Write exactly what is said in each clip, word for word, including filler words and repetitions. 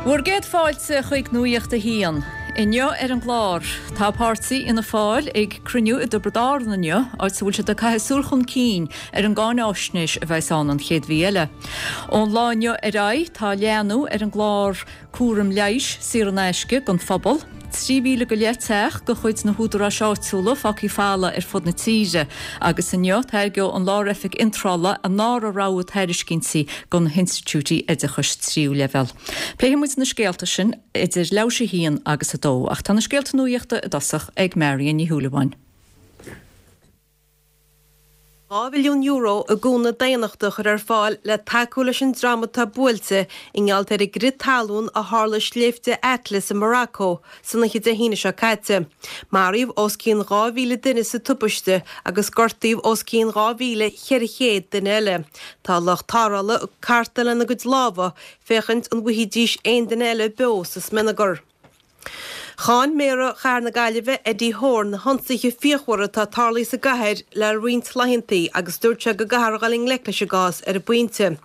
Bhur gcéad fáilte chuig Nuacht a hAon. Inniu ar an gclár, tá páirtí Fhianna Fáil ag cruinniú i dTiobraid Árann inniu, áit a bhfuil siad ag caitheamh súil chun cinn ar an gcáináisnéis a bheas ann an chéad mhí eile. Ón lá inniu ar aghaidh tá leathnú ar an gclár cúram leighis saor in aisce don phobal. Trí mhíle go leith teach de chuid na húdaráis áitiúla fágtha folamh ar fud na tíre, agus inniu tairgeoidh an Lár-Oifig Iontrála a ndara rogha tairiscintí do na hinstitiúidí oideachais tríú leibhéal. Pléifidh muid na scéalta sin idir leathuair tar éis a haon agus a dó, ach tá na scéalta nuachta i dtosach ag Marion Ní Shúilleabháin. Dhá mhilliún euro i gcúnamh daonnachta a chur ar fáil le tacú leis an dream atá buailte i ngeall ar an gcrith talún a tharla i sléibhte Atlas i Morocco san oíche Dé hAoine seo caite. Maraíodh os cionn dhá mhíle duine sa tubaiste agus gortaíodh os cionn dhá mhíle cheithre chéad duine eile. Tá lucht tarrthála ag cartadh lena gcuid lámha féachaint an bhfaighidís aon duine eile beo sa smionagar. Cháin Méara Chathair na Gaillimhe, Eddie Horan, na hionsaithe fíochmhara atá tarlaithe sa gcathair le roinnt laethanta agus dúirt sé go gcaithfear a dhul i ngleic leis an gcás ar an bpointe.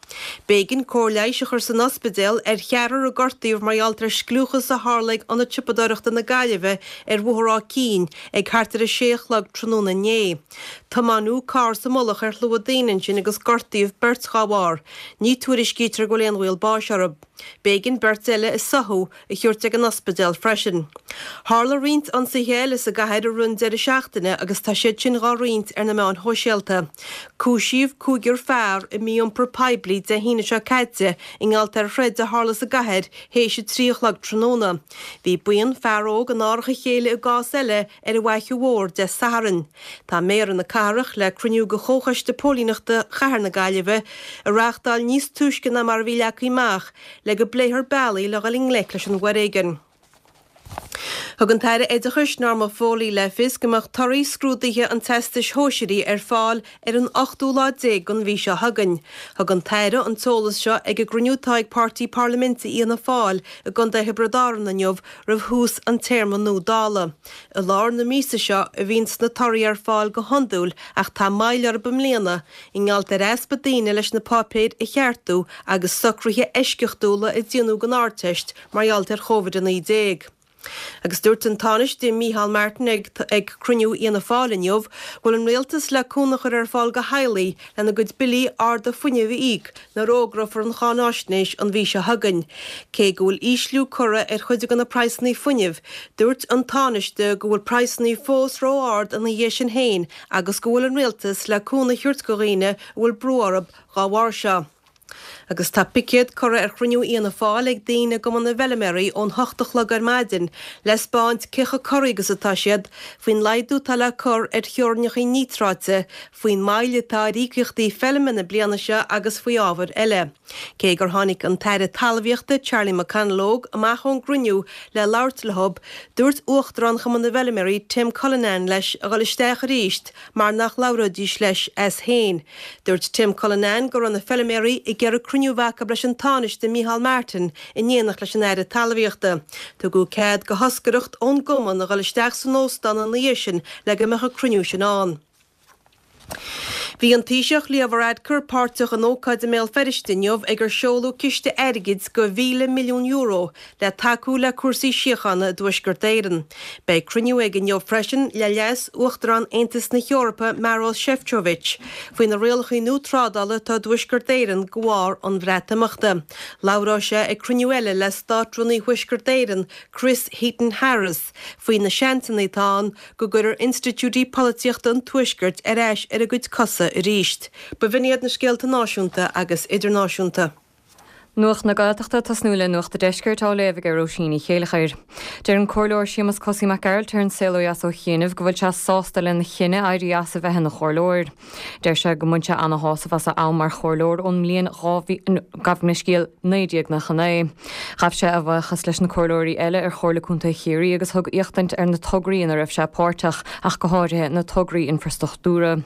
B'éigean cóir leighis a chur san ospidéal ar cheathrar a gortaíodh mar gheall ar scliúchas a tharla ag Ionad Siopadóireachta na Gaillimhe ar Bhóthar Áth Cinn ag thart ar a sé a chlog tráthnóna inné. Tiomáineadh carr sa mullach ar shlua daoine ansin agus gortaíodh beirt dá bharr. Ní tuairiscítear go bhfuil aon bhaol báis orthu. B'éigean beirt eile a soitheadh a thabhairt ag an ospidéal freisin. Tharla roinnt ionsaithe eile sa gcathair i rith an deireadh seachtaine agus tá siad sin dhá roinnt ar na meáin shóisialta. Cúisíodh cúigear fear i mí-iompar poiblí Dé hAoine seo caite i ngeall ar throid a tharla sa gcathair théis a trí a chlog tráthnóna. Bhí buíon fear óg in árach a chéile i gcás eile ar an bhFaiche Mhór Dé Sathairn. Tá Méara na cathrach le cruinniú de Chomhchoiste Póilíneachta Chathair na Gaillimhe a reáchtáil níos túisce ná mar a bhí leagtha amach le go bpléifear bealaí le dhul i ngleic leis an bhforéigean. Thug an tAire Oideachais Norma Foley le fios go mbeadh torthaí scrúduithe an Teastais Shóisearaigh ar fáil ar an ochtú lá déag den mhí seo chugainn. Thug an tAire an t-eolas seo ag an gcruinniú atá ag Páirtí Parlaiminte Fhianna Fáil i gContae Thiobraid Árann inniu roimh thús an téarma nua Dála. I lár na míosa seo a bhíonns na torthaí ar fáil go hiondúil ach tá moill orthu i mbliana i ngeall ar easpa daoine leis na páipéir a cheartú agus socruithe eisceachtúla a déanadh don Ardteist mar gheall ar Covid a naoi déag. Agus dúirt an Tánaiste Micheál Martin ag ag cruinniú Fhianna Fáil inniu go bhfuil an rialtas le cúnamh a chur ar fáil do theaghlaigh lena gcuid billí arda fuinnimh a íoc nuair a fhógrófar an cháináisnéis an mhí seo chugainn. Cé go bhfuil ísliú curtha ar chuid de na praghsanna fuinnimh, dúirt an Tánaiste go bhfuil praghsanna fós ró-ard ina dhiaidh sin féin agus go bhfuil an rialtas le cúnamh a thabhairt do dhaoine a bhfuil brú orthu dá bharr seo. Agus tá picéad curtha ar chruinniú Fhianna Fáil ag daoine i gCumann na bhFeilméaraí ón hocht a chlog ar maidin le 'spáint cé chomh corraithe agus atá siad faoin laghdú atá le cur ar theorainneacha níotráite, faoin moill atá ar íocaíochtaí feilme na bliana seo agus faoi ábhair eile. Cé gur tháinig an tAire Talmhaíochta Charlie McConalogue amach ón gcruinniú le labhairt leo, dúirt Uachtarán Chumann na bhFeilméaraí Tim Cullinan leis a dhul isteach arís mar nach labhróidís leis as féin. Dúirt Tim Cullinan go raibh na feilméaraí ag iarraidh cruinniú a bheith acu leis an Tánaiste Micheál Martin in éineacht leis an Aire Talmhaíochta. Tugadh cead do thoscaireacht ón gcumann a dhul isteach san óstán ina dhiaidh sin le go mbeadh an cruinniú sin ann. Bhí an Taoiseach Leo Varadkar páirteach in ócáid i mBéal Feirste inniu ag ar seoladh ciste airgid de mhíle milliún euro le tacú le cúrsaí síochána i dTuaisceart Éireann. Beidh cruinniú aige inniu freisin le Leas Uachtarán Aontas na hEorpa Maros Sefcovic faoi na rialacha nua trádála atá i dTuaisceart Éireann de bharr an Bhreatimeachta. Labhróidh sé ag cruinniú eile le Státrúnaí Thuaisceart Éireann Chris Heaton Harris faoi na seansanna atá ann go gcuirfear institiúidí polaitíochta an Tuaiscirt ar ais ar a gcuid cosa arís. B'in iad na scéalta náisiúnta agus idirnáisiúnta. Nuacht na Gaeltachta tosnú le Nuacht an Deiscirt á léamh ag Róisín Ní Chéilleachair. Deir an Comhairleoir Séamus Cosaí Mac Gearailt ar an Saol Ó Dheas ó chianaibh go bhfuil sé sásta lena chinneadh éirí as a bheith ina chomhairleoir. Deir sé go mbain sé ana-shásamh as a am mar chomhairleoir ón mbliain gabh mo leithscéal naoi déag nócha naoi. Ghabh sé a bhuíochas leis na comhairleoirí eile ar Chomhairle Contae Chiarraí agus thug éachtaint ar na tograí ina raibh sé páirteach ach go háirithe na tograí infreastruchtúra.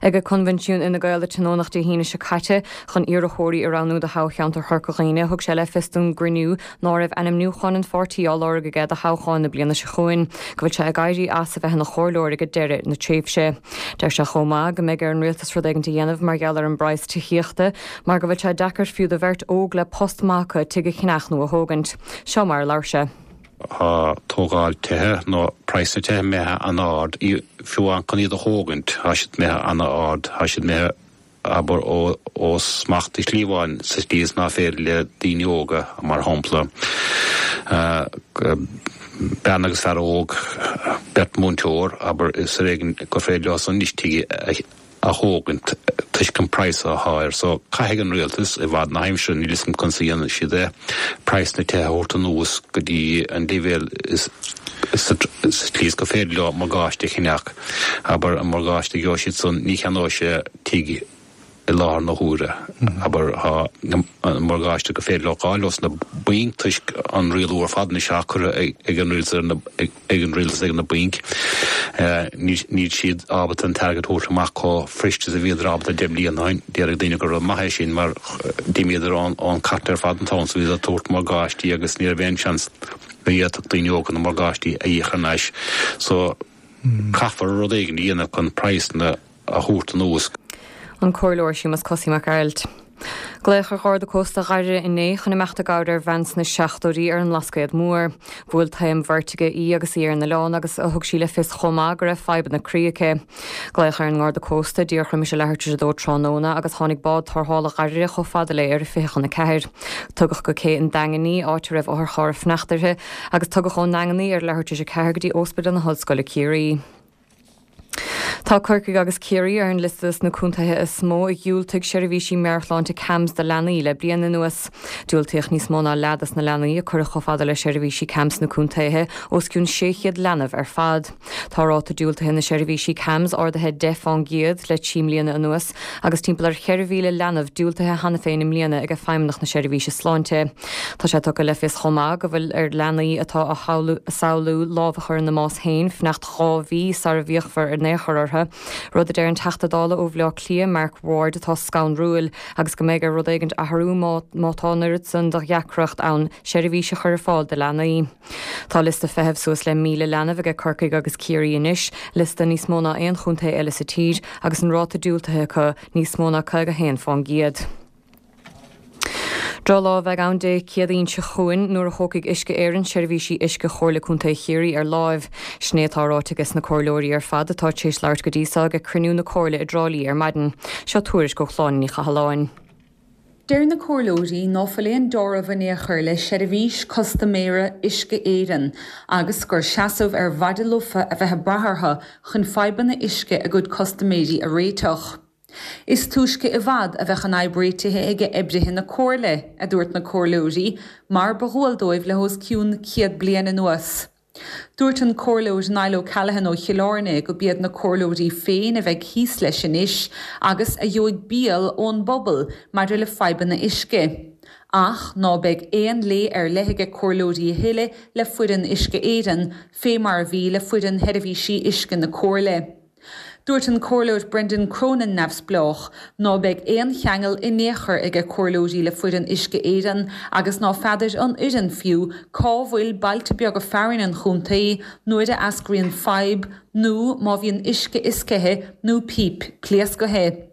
Ag coinbhinsiún Fhine Gael a tionóladh Dé hAoine seo caite chun iarrthóirí a roghnú do thoghcheantar Chorca Dhuibhne, thug sé le fios don gcruinniú ná raibh ainmniúchán an pháirtí á lorg aige do thoghchán na bliana seo chugainn, go bhfuil sé ag éirí as a bheith ina chomhairleoir ag deireadh na tréimhse. Deir sé chomh maith go mbeidh ar an rialtas rud éigin a dhéanamh mar gheall ar an bpraghas tithíochta, mar go bhfuil sé deacair fiú do bheirt óg le post maith acu tigh a cheannach nó a thógaint. Seo mar a labhair sé. Tá tógáil tithe nó praghas na tithe imithe an-ard, fiú amháin chun iad a thógaint, tá siad imithe an-ard, tá siad imithe abair ó ó smacht i slí amháin sa tslí is ná féidir le daoine óga mar shampla bean agus fear óg, beirt múinteoir abair is ar éigean gur féidir leo san anois tigh a thógaint toisc an praghas atá air. So caithfidh an rialtas i bhfad na haimsire, níl 'fhios a'm conas a dhéanfaidh siad é, praghas na tithe a thabhairt anuas go dtí an leibhéal is sa tslí is gur féidir leo morgáiste a cheannach. Abair an morgáiste a gheobhaidh siad san ní cheannóidh sé tigh i láthair na huaire. Abair tá an morgáiste gur féidir leo fháil ós na bainc toisc an rialú ar fad anois atá curtha ag an rialtas ar na ag an rialtas ag na bainc. Níl siad ábalta an t-airgead a thabhairt amach chomh fuirist is a bhíodar ábalta deich mbliana ó shin. Déarfaidh daoine gur rud maith é sin mar d'imíodar ón cairt ar fad an t-am so bhíodar ag tabhairt morgáistí agus ní raibh aon seans go bhféadfadh daoine óga na morgáistí a íoc thar n-ais. So caithfear rud éigin a dhéanamh chun praghsanna a thabhairt anuas. An Comhairleoir Séamus Cosaí Mac Gearailt. Glaodh ar Gharda Cósta Dhoire inné chun imeacht i gcabhair ar bhean sna seachtóidí ar an mBlascaod Mór. Bhuail taom veirtige í agus í ar an oileán agus thug sí le fios chomh maith go raibh fadhbanna croí aici. Glaodh ar an nGarda Cósta díreach roimis a leathuair tar éis a dó tráthnóna agus tháinig bád tarrthála Dhoire chomh fada léi ar a fiche chun a ceathair. Tugadh go cé an Daingin í, áit a raibh otharcharr ag fanacht uirthi, agus tugadh ón nDaingean í ar a leathuair tar éis a ceathair go dtí Ospidéal na hOllscoile Ciarraí. Tá Corcaigh agus Ciarraí ar an liosta dos na contaetha is mó a dhiúltaigh seirbhísí meabhairshláinte CAMHS do leanaí le bliain anuas. Diúltaíodh níos mó ná leath dos na leanaí a cuireadh chomh fada le seirbhísí CAMHS sna contaetha, os cionn sé chéad leanbh ar fad. Tá ráta diúltaithe na seirbhísí CAMHS ardaithe deich fán gcéad le trí mbliana anuas agus timpeall ar cheithre mhíle leanbh diúltaithe cheana féin i mbliana ag Feidhmeannacht na Seirbhíse Sláinte. Tá sé tugtha le fios chomh maith go bhfuil ar leanaí atá á samhlú lámh a chur ina mbás féin fanacht dhá mhí sara bhféachfar in aon chor orthu, rud a deir an Teachta Dála ó Bhaile Átha Cliath Mark Ward atá scanrúil agus go mbeidh ar rud éigin athrú má má tá an oiread san de dheacracht ann seirbhís a chur ar fáil do leanaí. Tá liosta feithimh suas le míle leanbh aige Corcaigh agus Ciarraí anois, liosta níos mó ná aon chontae eile sa tír agus an ráta diúltaithe acu níos mó ná caoga haon fán gcéad. Drochlá a bheidh ann Dé Céadaoin seo chugainn nuair a thógfaidh Uisce Éireann seirbhísí uisce Chomhairle Contae Chiarraí ar láimh. Sin é atá ráite aige sna comhairleoirí ar fad atá tar éis labhairt go dtí seo ag cruinniú na Comhairle i dTrá Lí ar maidin. Seo tuairisc ó Shláine Ní Chathalláin. Deir na comhairleoirí ná fuil aon dealramh in aon chor le seirbhís custaiméara Uisce Éireann agus gur seasamh ar mhaide lofa a bheith ag brath orthu chun fadhbanna uisce a gcuid custaiméirí a réiteach. Is túisce i bhfad a bheadh an fhadhb réitithe ag oibrithe na Comhairle, a dúirt na comhairleoirí, mar ba dhual dóibh le hos cionn céad bliain anuas. Dúirt an Comhairleoir Niall O'Callaghan ó Chill Airne go b'iad na comhairleoirí féin a bheidh thíos leis anois agus a gheobhaidh biall ón bpobal maidir le fadhbanna uisce. Ach ná beidh aon lé ar leith aige comhairleoirí a thuilleadh le foireann Uisce Éireann fé mar a bhí le foireann sheirbhísí uisce na Comhairle. Dúirt an Comhairleoir Brendan Cronin neamhspleách ná beidh aon cheangal in aon chor aige comhairleoirí le foireann Uisce Éireann agus ná feadair an fhoireann fiú cá bhfuil bailte beaga fearainn an chontae nuair a eascraíonn fadhb nó má bhíonn uisce fhioscaithe nó píp pléascaithe.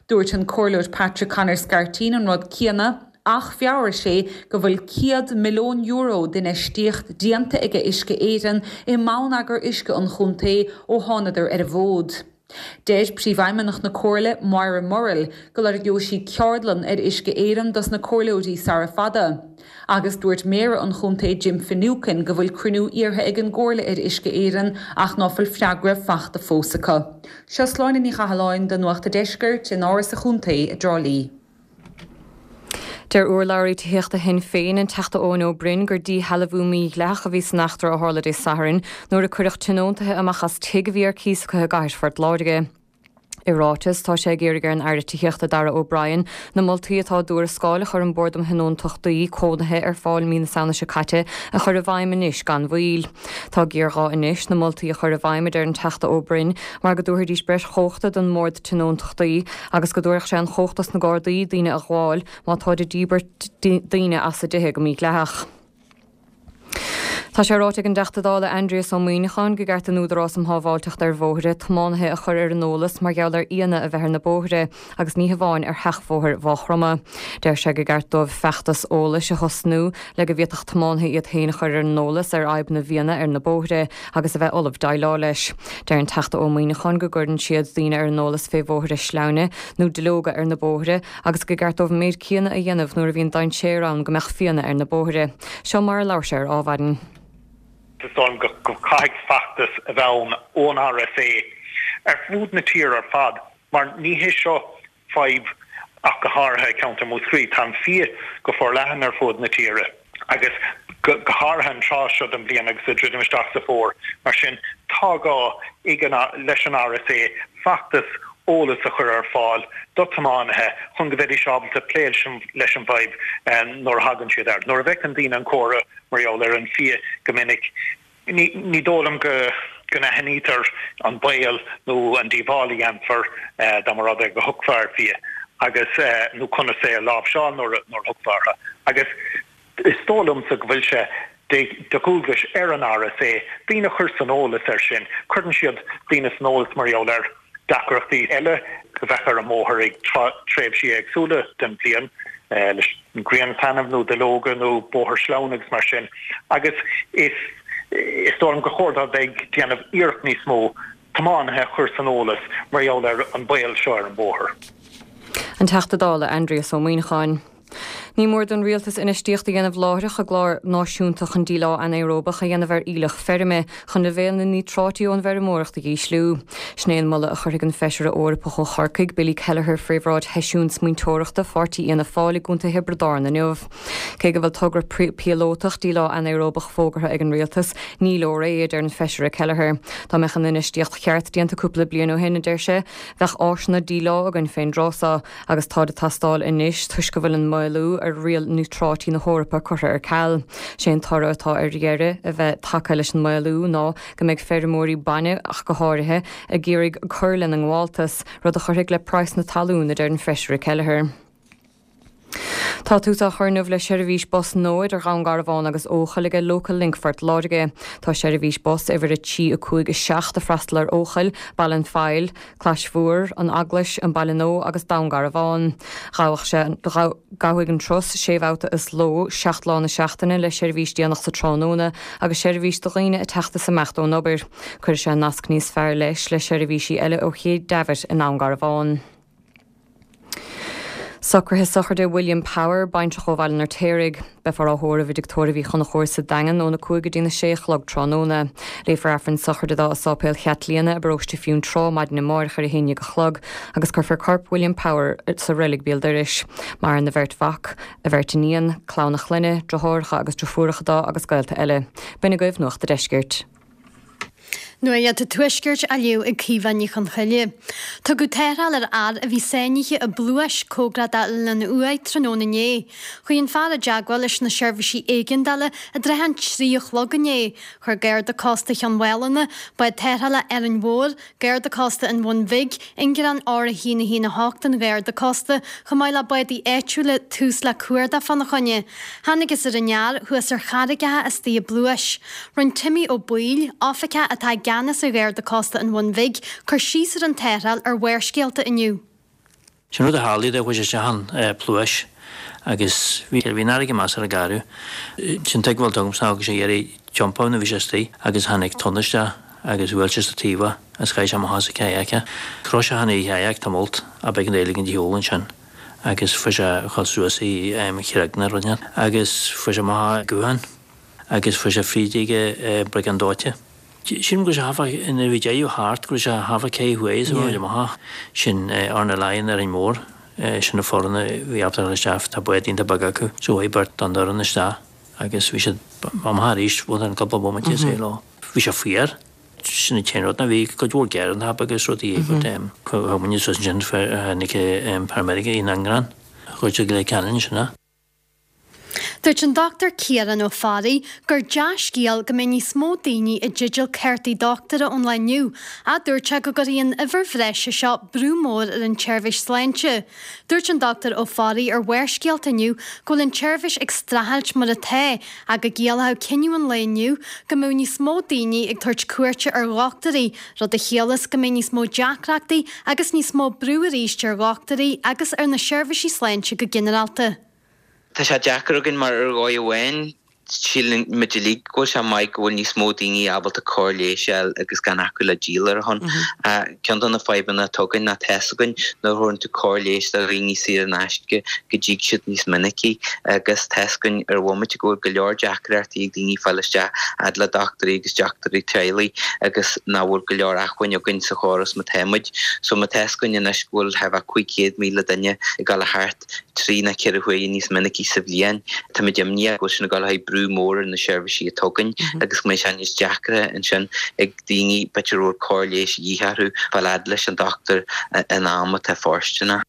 Dúirt an Comhairleoir Patrick Connor Scarteen an rud céanna ach mheabhraigh sé go bhfuil céad milliún euro d'infheistíocht déanta aige Uisce Éireann i mbonneagar uisce an chontae ó thánadar ar an bhfód. Deir Príomhfheidhmeannach na Comhairle, Moira Murrell, go lorgeoidh sí ceardlann ar Uisce Éireann dos na comhairleoirí sara fada. Agus dúirt Méara an chontae Jim Finucane go bhfuil cruinniú iarrtha ag an gComhairle ar Uisce Éireann ach ná fuil freagra fachta fós acu. Seo Sláine Ní Chathalláin do Nuacht a' Deiscirt in Áras a' Chontae i dTrá Lí. Deir urlabhraí tithíochta Shinn Féin, an Teachta Eoin Ó Broin, gur díshealbhú mídhleathach a bhí san eachtra a tharla Dé Sathairn nuair a cuireadh tionóntaithe amach as tigh a bhí ar cíos acu i gcathair Phort Láirge. I ráiteas tá sé ag iarraidh ar an Aire Tithíochta Darragh O'Brien na moltaí atá i dtuarascáil a chuir an Bord um Thionóntachtaí Cónaithe ar fáil mí na Samhna seo caite a chur i bhfeidhm anois gan mhoill. Tá géarghá anois na moltaí a chur i bhfeidhm a deir an Teachta Ó Broin mar go dtabharfaidís breis chumhachta don mBord Tionóntachtaí agus go dtabharfadh sé an chumhacht dos na Gardaí daoine a ghabháil má táid ag díbirt daoine as a dtithe go mídhleathach. Tá sé ráite ag an dTeachta Dála Aindrias Ó Muimhneacháin gur ceart don Údarás um Shábháilteacht ar Bhóithre tiománaithe a chur ar an eolas mar gheall ar fhianna a bheith ar na bóithre agus ní hamháin ar sheachbhóthar Mhaigh Chromtha. Deir sé gur ceart dóibh feachtas eolais a thosnú le go bhféadfadh tiománaithe iad féin a chur ar an eolas ar fhadhb na bhfianna ar na bóithre agus a bheith ullamh déileáil leis. Deir an Teachta Ó Muimhneacháin go gcuireann siad daoine ar an eolas fé bhóithre sleamhna nó duilleoga ar na bóithre agus gur ceart dóibh an méid céanna a dhéanamh nuair a bhíonn dainséar ann go mbeadh fianna ar na bóithre. Seo mar a labhair sé ar Adhmhaidin. Is dóigh liom go gcaithfidh feachtas a bheith ann ón RSA ar fud na tíre ar fad mar ní hé seo fadhb ach go háirithe i gceantar Mhúscraí. Tá an fia go forleathan ar fud na tíre agus go háirithe an tráth seo den bhliain agus ag druidim isteach sa bhfómhar. Mar sin tá gá ag an leis an RSA feachtas eolas a chur ar fáil do tiománaithe chun go mbeidís ábalta plé leis an bhfadhb nuair a thagann siad air. Nuair a bhfeiceann daoine an comhartha mar gheall ar an fia go minic, ní dóigh liom go n-aithnítear an baol nó an díobháil a dhéanfar dá mba rud é go thiocfá ar fhia agus nó conas é a láimhseáil nuair a thiocfá orthu. Agus Is dóigh liomsa go bhfuil sé de dhualgas ar an RSA daoine a chur san eolas air sin. Cuireann siad daoine san eolas mar gheall ar deacrachtaí eile a bheadh ar an mbóthar ag tréimhsí éagsúla den bhliain, leis an ghrian ag taitneamh nó duilleoga nó bóthar sleamhain agus mar sin. Agus is dóigh liom gur chóir dóibh bheith ag déanamh iarracht níos mó tiománaithe a chur san eolas mar gheall ar an baol seo ar an bhóthar. An Teachta Dála Aindrias Ó Muimhneacháin. Ní mór don Rialtas infheistíocht a dhéanamh láithreach i gclár náisiúnta chun díleá anaeróbach a dhéanamh ar aoileach feirme chun leibhéal na níotráití ón bhfeirmeoireacht a dhísliú. Sin é an moladh a chuirfidh an Feisire Eorpach ó Chorcaigh, Billy Kelleher fré bhráid sheisiún smaointeoireachta pháirtí Fhianna Fáil i gContae Thiobraid Árann inniu. Cé go bhfuil togra píolótach díleá anaeróbach fógartha ag an Rialtas, ní leor é, a deir an Feisire Kelleher. Dá mbeadh an infheistíocht cheart déanta cúpla bliain ó shin, a deir sé, bheadh áiseanna díleá againn fén dtráth so. Agus táid ag teastáil anois toisc go bhfuil an maolú ar riail níotráití na hEorpa curtha ar ceal. Sé an toradh atá ar dheireadh a bheith tagtha leis an maolú ná go mbeidh feirmeoirí bainne, ach go háirithe, ag iarraidh cur lena ngabháltas, rud a chuirfidh le praghas na talún, a deir an Feisire Kelleher. Tá tús á chur inniu le seirbhís bus nua idir Dhún Garbhán agus Eochaill aige Local Link Phort Láirge. Tá seirbhís bus uimhir a trí a cúig a seacht ag freastal ar Eochaill, Baile an Phoill, Clais Mhór, An Eaglais, An Baile Nua agus Dún Garbhán. Ghabhadh sé, gabhfaidh an turas sé bhabhta sa ló, seacht lá na seachtaine le seirbhís déanach sa tráthnóna agus seirbhís do dhaoine ag teacht is imeacht ón obair. Cuirfidh sé nasc níos fearr leis le seirbhísí eile ó Ché Davitt i nDún Garbhán. Socruithe sochraide William Power, baintreach ó Bhaile an Fheirtéaraigh. Beifear á thórramh i dTigh Tórraimh Uí Chonchúir sa Daingean óna cúig go dtína sé a chlog tráthnóna. Léifear Aifreann sochraide dó i Sáipéal Chaitlíona i bparóiste Fionntrá maidin amáireach ar a haon déag a chlog agus cuirfear corp William Power sa reilig béal dorais. Maireann a bheirt mhac, a bheirt iníon, clann a chlainne, deartháireacha agus deirfiúracha dó agus gaolta eile. B'in agaibh Nuacht a' Deiscirt. Nuacht an Tuaiscirt á léamh ag Caoimhe Ní Chonchoille. Tugadh tarrtháil ar fhear a bhí sáinnithe i bpluais cóngarach d'Oileán an Uaighe tráthnóna inné. Chuaigh an fear i dteagmháil leis na seirbhísí éigeandála i dtrátha an trí a chlog inné. Chuir Garda Cósta Chionn Mhálanna, bád tarrthála Árainn Mhór, Garda Cósta an Bhun Bhig, Ingearán R a haon a haon a hocht an Gharda Cósta, chomh maith le bádaí áitiúla, tús le cuardach fána choinne. Thángthas ar an fhear thuas ar charraigeacha istigh i bpluais. Rinne Timmy Ó Baoill, oifigeach atá i gceannas ar Gharda Cósta an Bhun Bhig, cur síos ar an tarrtháil ar Bharrscéalta inniu. Sin rud a tharlaigh dó, chuaigh sé isteach an pluais agus bhí bhí an fharraige measartha garbh. Sin tuigbheáil agamsa ná go raibh sé ag iarraidh tiompú nuair a bhí sé istigh agus tháinig tonn isteach agus bhuail sé sa taobh é agus chaith sé amach as a kayak é. Chroith sé cheana a kayak tamalt ach b'éigean dó éiligh an diabhal ansin agus fuair sé a dhul suas i chreag na rinne agus fuair sé amach a guthán agus fuair sé fríd ag briogáid dóite. Sílim go raibh sé half a, nuair a bhí deireadh thart, go raibh sé half a cé thuaidh is a bhí amach. Sin Árainn Laighean, Árainn Mhór, sin na foireann a bhí ábalta a dhul isteach, tá bád iontach beag acu. So chuaigh beirt don fhoireann isteach agus bhí siad amach arís within cúpla bomaite is é leo. Bhí sé fuar. Sin an t-aon rud ná bhí cuid mhór gearán tapa agus rudaí but thug muid suas ansin tháinig paramedic i nGrán chuir siad Leitir Ceanainn ansin é. Dúirt an Dochtúir Ciarán Ó Fearraigh gur dea-scéal go mbeidh níos mó daoine i dteideal cártaí dochtúra ón lá inniu, ach dúirt sé go gcuirfidh an uimhir bhreise seo brú mór ar an tseirbhís sláinte. Dúirt an Dochtúir Ó Fearraigh ar Bharrscéalta inniu go bhfuil an tseirbhís ag streachailt mar atá ach go gciallódh cinneadh an lae inniu go mbeadh níos mó daoine ag tabhairt cuairte ar dhochtúirí, rud a chiallas go mbeidh níos mó deacrachtaí agus níos mó brú arís ar dhochtúirí agus ar na seirbhísí sláinte go ginearálta. Tá sé deacair againn mar ar dhóigh amháin síleann muid uilig go bhfuil sé maith go bhfuil níos mó daoine ábalta cóir leighis a fháil agus gan acu le díol ar a shon. Ceann de na fadhbanna atá againn ná tá's againn nuair a thabharann tú cóir leighis do dhaoine saor in aisce go dtig siad níos minicí agus tá's againn ar bhomaite go bhfuil go leor deacrachtaí ag daoine fáil isteach fhad le dochtúirí agus dochtúirí teaghlaigh agus nach bhfuil go leor acmhainn againn sa chóras mar tá muid. So má tá's againn anois go bhfuil thart fá cúig chéad míle duine ag dul thart trí nó ceithre huaire níos minicí sa bhliain. Táimid imníoch go bhfuil sin ag dul a bheith brú mór ar na seirbhísí atá againn agus go mbeidh sé níos deacra ansin ag daoine b'fhéidir a bhfuil cóir leighis a dhíth orthu fáil fhad leis an dochtúir in am atá fóirsteanach.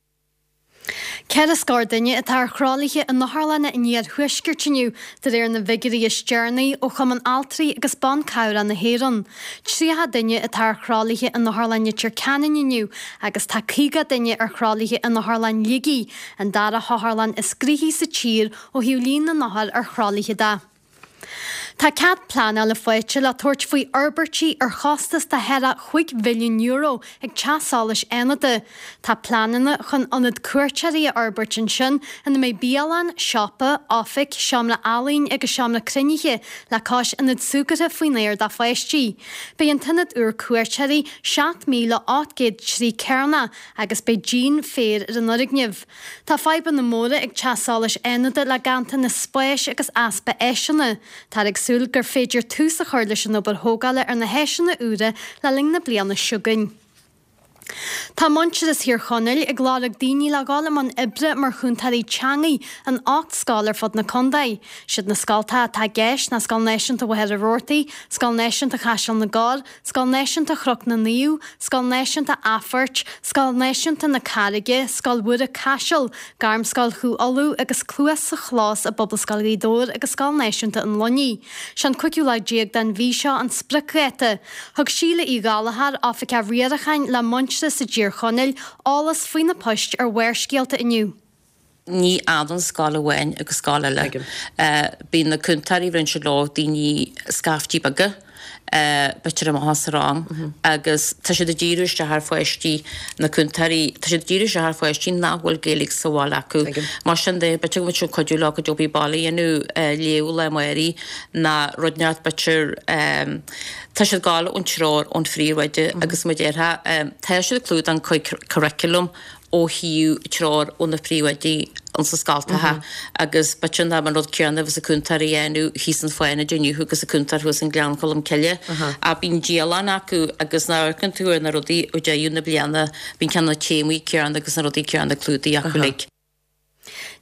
Ceithre scór duine atá ar thralaithe in otharlanna an iarthuaiscirt inniu, de réir na bhfigiúirí is deireanaí ó Chumann Altraí agus Ban Cabhrach na hÉireann. Tríocha duine atá ar thralaithe in Otharlann Leitir Ceanainn inniu agus tá caoga duine ar thralaithe in Otharlann Shligigh, an dara hotharlann is gnoithí sa tír ó thaobh líon na n-othar ar thralaithe de. Tá cead pleanála faighte le tabhairt faoi fhorbairtí ar chostas de cheithre chúig mhilliún euro ag Teach Solais Fhánada. Tá pleananna chun ionad cuairteoirí a fhorbairt ansin ina mbeidh bialann, siopa, oifig, seomra ealaíon agus seomra cruinnithe le cois ionad súgartha faoin aer do pháistí. Beidh an t-ionad úr cuairteoirí seacht míle ocht gcéad troigh cearnach agus beidh díon féir ar an fhoirgneamh. Tá fadhbanna móra ag Teach Solais Fhánada le ganntanas spáis agus easpa áiseanna. Táthar ag súil gur féidir tús a chur leis an obair thógála ar na háiseanna úra le linn na bliana seo chugainn. Tá Muintearas Thír Chonaill ag lorg daoine le dhul i mbun oibre mar chúntóirí teangaidh in ocht scoil ar fud na contae. Siad na scoltacha atá i gceist ná Scoil Náisiúnta Mhachaire Rabhartaigh, Scoil Náisiúnta Chaiseal na gCorr, Scoil Náisiúnta Chnoc na Naomh, Scoil Náisiúnta Athphoirt, Scoil Náisiúnta na Carraige, Scoil Mhuire Caiseal, Gairmscoil Chú Uladh agus Cluas sa Chlós i bPobalscoil Ghaoth Dobhair agus Scoil Náisiúnta an Luinnigh. Sé an cúigiú lá déag den mhí seo an spriocdháta. Thug Síle Uí Ghallchóir, Oifigeach Riaracháin le Muintearas i dTír Chonaill, eolas faoi na poist ar Bharrscéalta inniu. Ní fhanann scoil amháin agus scoil eile. Bíonn na cúntóirí rinne siad leo daoine scaiftí beaga, b'fhéidir amach as rang agus tá siad ag díriú isteach ar pháistí, na cúntóirí, tá siad ag díriú isteach ar pháistí nach bhfuil Gaeilge sa bhaile acu. Mar sin de, b'fhéidir go bhfuil siad cuidiú leo cuid obair baile a dhéanamh, léamh le Máirí ná rud inteacht b'fhéidir, tá siad ag gabháil ón treoir ón phríomhoide agus mar a déarfá, tá siad ag clúdach an curriculum ó thaobh treoir ó na príomhoidí ins na scoltacha agus b'fhéidir nach an rud céanna a bheas an cúntóir a dhéanamh thíos in Fánaid inniu agus an cúntóir thuas in Gleann Cholm Cille. Ach bíonn dialann acu agus nuair a amharcann tú ar na rudaí ó deireadh na bliana bíonn ceann na téamaí céanna agus na rudaí céanna clúdaithe acu uilig.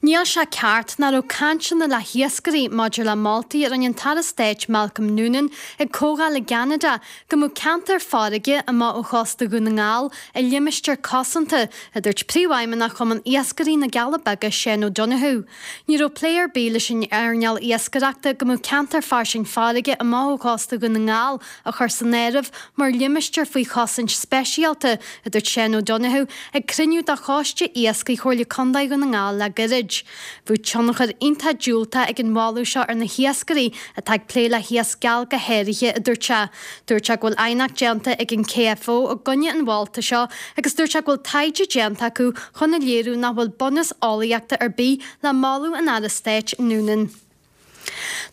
Níl sé ceart nach raibh cainteanna le hiascairí maidir le moltaí a rinne an tAire Stáit Malcolm Noonan ag comhdháil i gCeanada go mbeadh ceantar farraige amach ó chósta Dhún na nGall i limistéar cosanta, a dúirt Príomhfheidhmeannach Chumann Iascairí na gCealla Beaga Shane O'Donoghue. Ní raibh plé ar bith leis an earnáil iascaireachta go mbeadh ceantar fairsing farraige amach ó chósta Dhún na nGall a chur san áireamh mar limistéar faoi chosaint speisialta, a dúirt Shane O'Donoghue ag cruinniú de Choiste Iascaigh Chomhairle Contae Dhún na nGall le gairid. Bheadh tionchar iontach diúltach ag an mholadh seo ar na hiascairí atá ag plé le hiasc geal go háirithe, a dúirt sé. Dúirt sé go bhfuil aighneacht déanta ag an KFO i gcoinne an mholta seo agus dúirt sé go bhfuil taighde déanta acu chun a léiriú nach bhfuil bunús eolaíochta ar bith le moladh an Aire Stáit Noonan.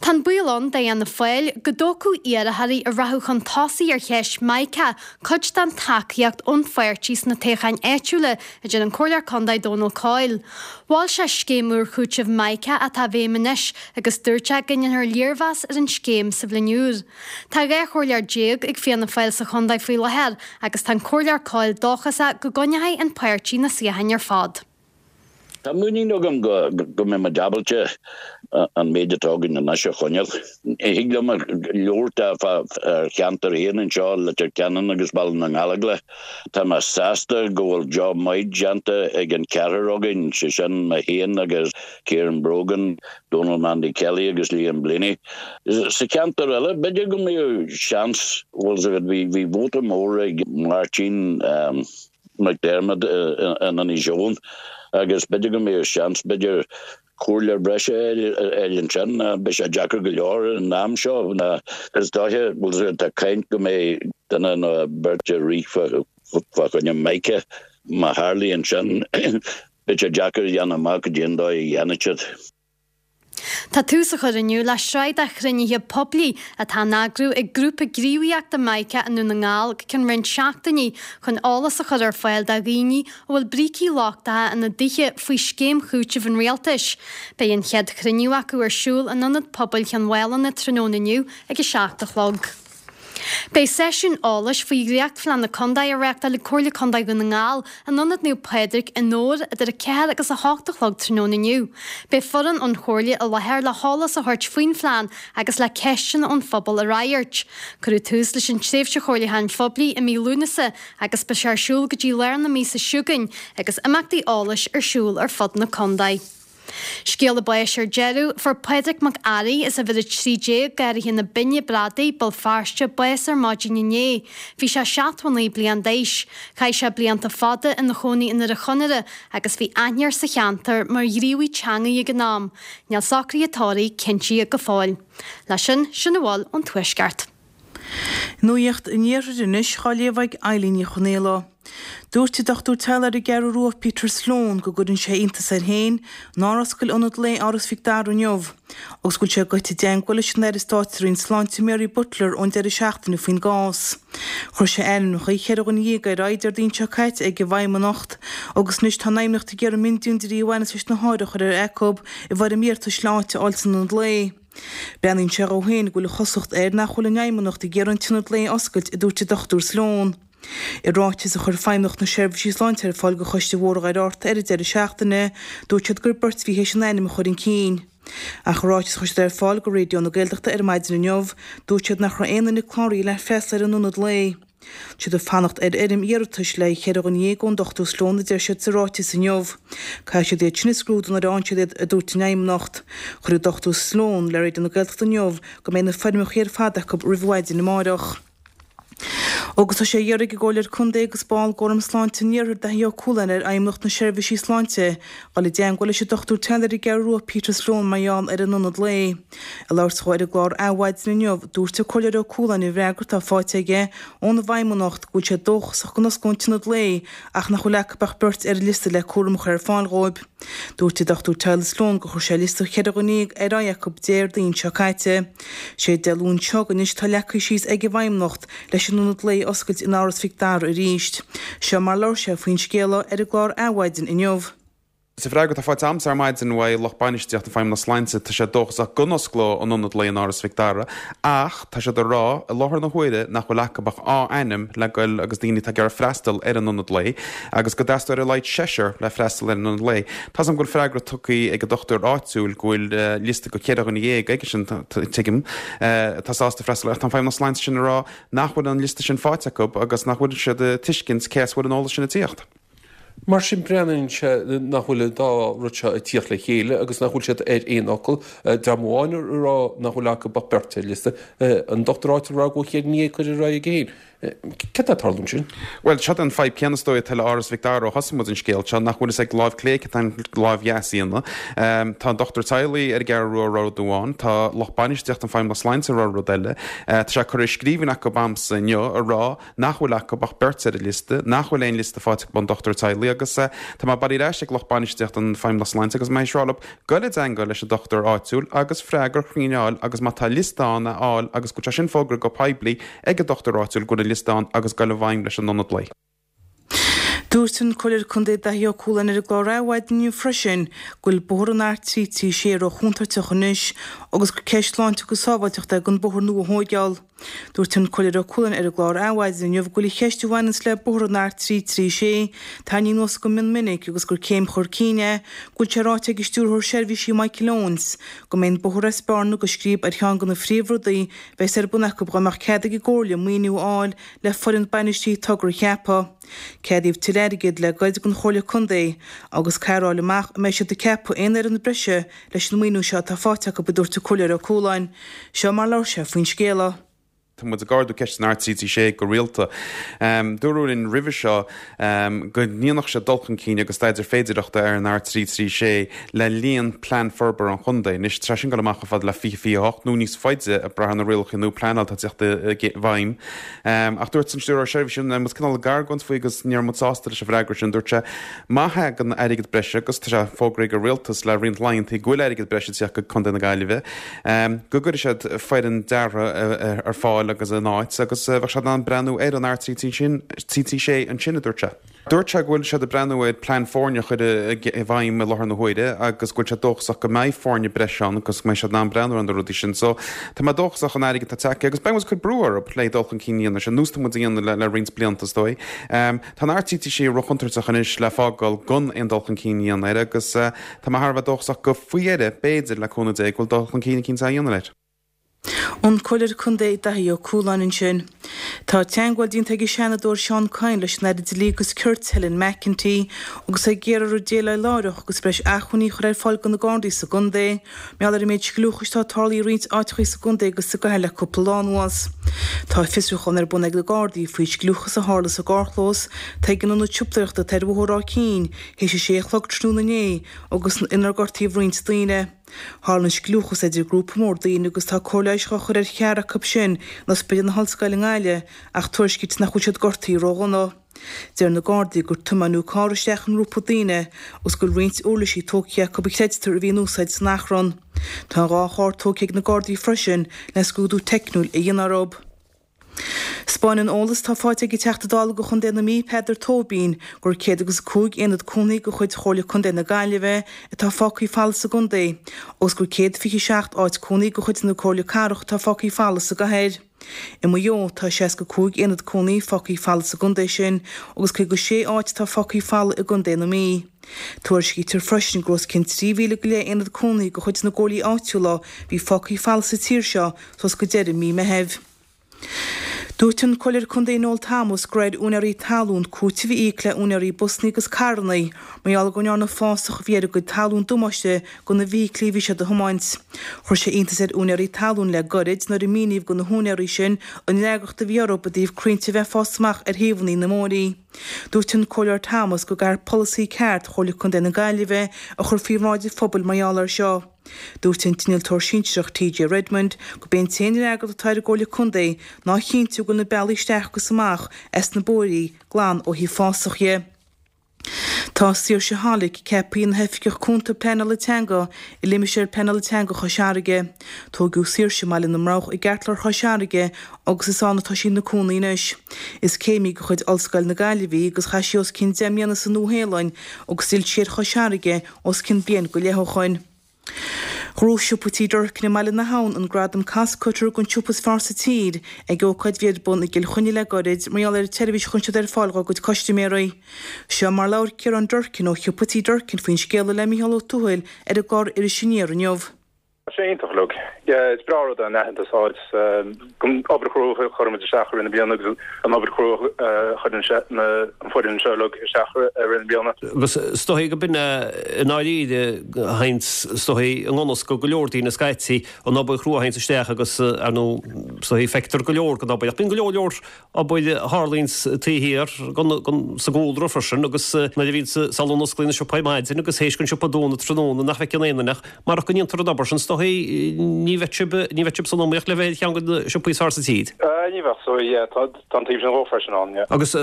Tá an baol ann d'Fhianna Fáil go dtógfadh iarrthóirí a rachadh chun tosaigh ar cheist Mica cuid den tacaíocht ón pháirtí sna toghcháin áitiúla, a deir an Comhairleoir Contae Dónal Coyle. Mhol sé scéim úr chúitimh Mica atá i bhfeidhm anois agus dúirt sé go ndéanfar léirmheas ar an scéim sa bhliain úr. Tá dhá chomhairleoir déag ag Fianna Fáil sa chontae faoi láthair agus tá an Comhairleoir Coyle dóchasach go gcoinneoidh an páirtí na suíocháin ar fad. Tá muinín agam go go mbeidh muid ábalta an méid atá againn anois a choinneáil. Thig liom labhairt ar cheantar féin anseo, Leitir Ceanainn agus Baile na nGallóglach. Tá mé sásta go bhfuil job maith déanta ag an ceathrar againn, sé sin mé féin agus Kieran Brogan, Donal Mandy Kelly agus Liam Blaney. Sa cheantar eile, b'fhéidir go mbeadh seans, bhfuil a fhios agat, bhí vóta mór ag Máirtín, McDermott in Inis Eoghain agus b'fhéidir go mbeadh seans b'fhéidir comhairleoir breise a fháil ansin. Beidh sé deacair go leor an am seo. Is dóiche, bhuel, tá caint go mbeidh duine nó beirt ag rith fá choinne Micah. Má tharlaíonn sin, beidh sé deacair a dhéanamh amach cad é an dóigh a dhéanfaidh siad. Tá tús á chur inniu le sraith de chruinnithe poiblí atá á n-eagrú ag grúpa gníomhaíochta Mica i nDún na nGall go ceann roinnt seachtainí chun eolas a chur ar fáil do dhaoine a bhfuil brící lochtacha ina dtithe faoi scéim chúitimh an rialtais. Beidh an chéad chruinniú acu ar siúl in Ionad Pobail Chionn Mhálanna tráthnóna inniu ag a seacht a chlog. Beidh seisiún eolais faoi dhréachtphlean na Condae á reáchtáil ag Comhairle Condae Dhún na nGall in Ionad Naomh Pádraig i nDobhar idir a ceathair agus a hocht a chlog tráthnóna inniu. Beidh foireann ón Chomhairle i láthair le heolas a thabhairt faoin phlean agus le ceisteanna ón phobal a fhreagairt. Cuireadh tús leis an tréimhse chomhairliúcháin phoiblí i mí Lúnasa agus beidh sé ar siúl go dtí lár na míosa seo chugainn agus imeachtaí eolais ar siúl ar fud na condae. Scéala báis ar deireadh, fuair Pádraig Mac Fhearraigh as uimhir a trí déag, Garraithe na Binne Bradaí, Béal Feirste, bás ar maidin inné. Bhí sé seachtó a naoi bliain d'aois. Chaith sé blianta fada ina chónaí i nDoire Chonaire agus bhí aithne air sa cheantar mar ghníomhaí teangaí ag an am. Níl socruithe tórraimh cinntithe go fóill. Leis sin, sin a bhfuil ón Tuaisceart. Nuacht an Iarthair anois á léamh ag Eilín Ní Chonaola. Dúirt an dochtúir teaghlaigh ar an gCeathrú Rua Peter Sloane go gcuireann sé iontas air féin nár oscail ionad lae Áras Mhic Dara inniu agus go bhfuil sé ag goil i dteagmháil leis an Aire Stáit sa Roinn Sláinte Mary Butler ón deireadh seachtaine faoin gcás. Chuir sé ainmneacha cheithre dhuine dhéag ar aghaidh Déardaoin seo caite ag an bhFeidhmeannacht agus anois tá an Fheidhmeannacht ag iarraidh miondiúndrí a bhaineas leis na hothair a chur ar aghaidh acu i bhfoirm iarratais le áit a fháil san ionad lae. Breathnaíonn sé dhó féin go bhfuil an chosúlacht air nach bhfuil an Fheidhmeannacht ag iarraidh an t-ionad lae a oscailt, a dúirt an Dochtúir Sloane. I ráiteas a chuir Feidhmeannacht na Seirbhísí Sláinte ar fáil do Choiste Bhóthar Dhoire Fhatharta ar an deireadh seachtaine, dúirt siad gur beirt a bhí théis an ainm a chur chun cinn. Ach i ráiteas a chuir siad ar fáil do Raidió na Gaeltachta ar maidin inniu, dúirt siad nach raibh aon duine cláraithe le freastal ar an ionad lae. Tá siad ag fanacht ar fhoirm iarratais le haghaidh cheithre dhuine dhéag ón Dochtúir Sloane a deir siad sa ráiteas inniu. Caithfidh siad iad sin a scrúdú nuair a fhaigheann siad iad, a dúirt an Fheidhmeannacht. Chuir an Dochtúir Sloane le Raidió na Gaeltachta inniu go mbeidh na foirmeacha ar fad acu roimh mhaidin amárach. Agus tá sé á iarraidh ag an gComhairleoir Contae agus ball d'Fhóram Sláinte an Iarthair Daithí Ó Cualáin ar Fheidhmeannacht na Seirbhísí Sláinte dul i dteagmháil leis an dochtúir teaghlaigh ar an gCeathrú Rua Peter Sloane mar gheall ar an ionad lae. Ag labhairt dhó ar an gclár Adhmhaidin inniu, dúirt an Comhairleoir Ó Cualáin i bhfreagra atá faighte aige ón bhFeidhmeannacht go bhfuil sé dóchasach go n-osclóidh an t-ionad lae ach nach bhfuil acu ach beirt ar an liosta le cúram a chur ar fáil dhóibh. Dúirt an Dochtúir teaghlaigh Sloane gur chuir sé liosta cheithre dhuine dhéag ar aghaidh acu Déardaoin seo caite. Sé Dé Luain seo chugainn anois atá leagtha síos ag an bhFeidhmeannacht leis an ionad lae a oscailt in Áras Mhic Dara arís. Seo mar a labhair sé faoin scéala ar an gclár Adhmhaidin inniu. Sa bhfreagra atá faighte a'msa ar maidin uaidh lucht bainistíochta Feidhmeannas Sláinte, tá sé dóchasach go n-osclóidh an ionad lae in Áras Mhic Dara ach tá siad ag rá i láthair na huaire nach bhfuil acu ach dhá ainm le goil agus daoine atá ag iarraidh freastal ar an ionad lae agus go dteastóidh ar a laghad seisear le freastal ar an ionad lae. Tá's a'm go bhfuil freagra tugtha ag an dochtúir áitiúil go bhfuil liosta go cheithre dhuine dhéag aigesean, tuigim, atá sásta freastal ach tá an Feidhmeannas Sláinte sin ag rá nach bhfuil an liosta sin faighte acu agus nach bhfuil siad ag tuiscint cé as a bhfuil an eolas sin ag tíocht. Mar sin, breathnaíonn sé nach bhfuil an dá rud seo ag tíocht le chéile agus nach bhfuil siad ar aon fhocal. Dream amháin ag rá nach bhfuil acu ach beirt ar liosta, an dochtúir áitiúil ag rá go bhfuil ceithre dhuine dhéag curtha ar aghaidh aige féin. Céard atá ag tarlú ansin? Bhuel, seo an fadhb céanna is dóigh atá le Áras Mhic Dara ó thosaigh muid an scéal seo, nach bhfuil fhios ag láimh clé cad tá an láimh dheas a dhéanamh. Tá an dochtúir teaghlaigh ar an gCeathrú Rua ag rá rud amháin, tá lucht bainistíochta an Feidhmeannas Sláinte ag rá rud eile. Tá sé curtha i scríbhinn acu a'msa inniu ag rá nach bhfuil acu ach beirt ar an liosta, nach bhfuil aon liosta faighte acu ón dochtúir teaghlaigh agus tá mé bailithe ar ais ag lucht bainistíochta an Feidhmeannas Sláinte agus mé ag rá leo goil i dteagmháil leis an dochtúir áitiúil agus freagra cruinn a fháil agus má tá liosta ann a fháil agus go bhfuil sé sin fógartha go poiblí ag an dochtúir áitiúil go bhfuil an liosta ann agus goil i bhfeidhm leis an ionad lae. Dúirt an Comhairleoir Contae Daithí Ó Cualáin ar an gclár Adhmhaidin inniu freisin go bhfuil bóthar an R trí trí sé ró-chontúirteach anois agus gur ceist sláinte agus sábháilteachta é gan bóthar nua a thóigeáil. Dúirt an Comhairleoir Ó Cualáin ar an gclár Adhmhaidin inniu go bhfuil an cheist a bhaineanns le bóthar an R trí trí sé tarraingthe anuas go mion minic agus gur céim chur cinn é go bhfuil sé ráite ag an Stiúrthóir Seirbhísí Michael Owens go mbeidh an bóthar as Bearna go Scríb ar cheann de na phríomhrudaí bheas ar bun acu dá mbeadh cead ag an gComhairle maoiniú a fháil le foireann bainistithe togra a cheapadh. Ceadaíodh tuilleadh airgid le goirid don Chomhairle Contae agus caithfear a fháil amach an mbeidh siad ag ceapadh aon fhoireann breise leis an maoiniú seo atá faighte acu, a dúirt an Comhairleoir Ó Cualáin. Seo mar a labhair sé faoin scéala. Tá muid ag ardú ceist an R trí trí sé go rialta. Dúradh linn roimhe seo go ndéanfadh siad dul chun cinn agus staidéar féidearthachta ar an R trí trí sé le linn Plean Forbartha an Chontae. Anois, tá sin ag dul amach chomh fada le fiche fiche a hocht nó níos faide ag brath ar na rialacha nua pleanála atá ag teacht i bhfeidhm. Ach dúirt an Stiúrthóir Seirbhísí, muid cineál ag argóint faoi agus ní raibh muid sásta leis an bhfreagra sin, dúirt sé, má thagann airgead breise, agus tá sé fógraithe ag an Rialtas le roinnt laethanta go bhfuil airgead breise ag teacht go Contae na Gaillimhe, go gcuirfidh siad foireann deartha ar fáil agus in áit agus bheadh siad in ann breathnú ar an R trí trí trí sé ansin, a dúirt sé. Dúirt sé go bhfuil siad ag breathnú ar plean foirne a chur i bhfeidhm i láthair na huaire agus go bhfuil sé dóchasach go mbeidh foirne breise ann agus go mbeidh siad in ann breathnú ar na rudaí sin. So, tá mé dóchasach an airgead atá tagtha agus beidh muid ag cur brú orthu le dul chun cinn a dhéanamh, ar nós tá muid a dhéanamh le roinnt blianta is dóigh. Tá an R trí trí sé róchontúirteach anois le fágáil gan aon dul chun cinn a dhéanamh air agus tá mé thar a bheith dóchasach go faoi dheireadh, b'fhéidir, le cúnamh Dé, go bhfuil dul chun cinn eicínt á dhéanamh air. An Comhairleoir Contae Daithí Ó Cualáin ansin. Tá teagmháil déanta ag an Seanadóir Seán Kyne leis an Aire Dlí agus Cirt Helen McEntee agus é ag iarraidh uirthi déileáil láithreach agus breis acmhainní a chur ar fáil do na Gardaí sa gcontae mar gheall ar an méid scliúchais atá tarlaithe i roinnt áiteachaí sa gcontae agus sa gcathair le cúpla lá anuas. Tá fiosrúchán ar bun ag na Gardaí faoi scliúchas a tharla sa gcarrchlós atá ag an ionad siopadóireachta atá ar Bhóthar Ráth Cinn théis a sé a chlog tráthnóna inné agus inar gortaíodh roinnt daoine. Tharla an scliúchas idir grúpa mór daoine agus tá cóir leighis á chur ar cheathrar acu sin in Ospidéal na hOllscoile i nGaillimh ach tuairiscítear nach bhfuil siad gortaithe ródhona. Deir na Gardaí gur tiomáineadh carr isteach i ngrúpa daoine agus go bhfuil roinnt uirlisí tógtha acu a chreidtear a bhí in úsáid san achrann. Tá dhá charr tógtha ag na Gardaí freisin le scrúdú teicniúil a dhéanamh orthu. 'Spáineann eolas atá faighte ag an Teachta Dála do Chontae na Mí, Peadar Tóibín, gur céad agus a cúig aonad cónaithe de chuid Chomhairle Contae na Gaillimhe atá fágtha folamh sa gcontae agus gur céad fiche seacht áit cónaí de chuid na Comhairle Cathrach atá fágtha folamh sa gcathair. I Maigh Eo, tá seasca cúig aonad cónaí fágtha folamh sa gcontae sin agus caoga sé áit atá fágtha folamh i gcontae na Mí. Tuairiscítear freisin gur os cionn trí mhíle go leith aonad cónaí de chuid na gcomhairlí áitiúla a bhí fágtha folamh sa tír seo suas go deireadh mí Meithimh. Dúirt an Comhairleoir Contae Noel Thomas gur ar úinéirí talún cúiteamh a íoc le úinéirí busanna agus carranna mar gheall go ndearna fásach a bhí ar a gcuid talún damáiste do na bhfeithiclí a bhí siad a thiomáint. Chuir sé iontas ar úinéirí talún le gairid nuair a míníodh do na húinéirí sin an fhreagracht a bhí orthu i dtaobh crainnte a bheith ag fás amach ar thaobhanna na mbóithrí. Dúirt an Comhairleoir Thomas go gcaithfear polasaí ceart Chomhairle Contae na Gaillimhe a chur faoi bhráid an phobail mar gheall air seo. Dúirt an t-innealtóir sinsearach TJ Redmond gurb é an t-aon fhreagracht atá ar an gComhairle Contae ná a chinntiú go bhfuil na bealaí isteach agus amach as na bóithrí glan ó thaobh fásach dhe. Tá Saoirse Hollick ceaptha ina hOifigeach Cúnta Pleanála Teanga i Limistéar Pleanála Teanga Chois Fharraige. Tógadh Saoirse i mBaile na mBroghach i gceartlár Chois Fharraige agus is ann atá sí ina cónaí anois. Is céimí de chuid Ollscoil na Gaillimhe í agus chaith sí os cionn deich mbliana sa Nua-Shéalainn agus d'fhill sí ar Chois Fharraige os cionn bliain go leith ó shoin. Ghnóthaigh Siopa Tí Durkin i mBaile na hAbhann an gradam Costcutter don tsiopa is fearr sa tír ag ócáid a bhí ar bun i gCill Chainnigh le gairid mar gheall ar an tseirbhís a chuireann siad ar fáil dá gcuid custaiméirí. Seo mar labhair Ciarán Durkin ó Shiopa Tí Durkin faoin scéala le Mícheál Ó Tuathail ar an gclár Iris Aniar inniu. Tá sé iontach uilig. Yeah, is breá rud é an aitheantas a fháil don obair chrua a chuireann muid isteach i rith na bliana agus an obair chrua a chuireann an foireann seo uilig isteach i rith na bliana. Agus is dóigh go b'in é i ndáiríre a théanns is dóigh i ngan fhios go go leor daoine scaití an obair chrua a théanns isteach agus ar ndóigh is dóigh feictear go leor den obair ach bíonn go leor leor obair a tharlaíonns taobh thiar sa gcúlra freisin agus nuair a bhíonns sula n-osclaíonn an siopa ar maidin agus théis don siopa dúnadh tráthnóna nach bhfeiceann aon duine ach marach go ndéantar an obair sin is dóigh ní bheadh sibh ní bheadh sibh san iomaíocht le bheith ar cheann de na siopaí is fearr sa tír. Ní bheadh so yeah tá an taobh sin dhó freisin ann yeah. Agus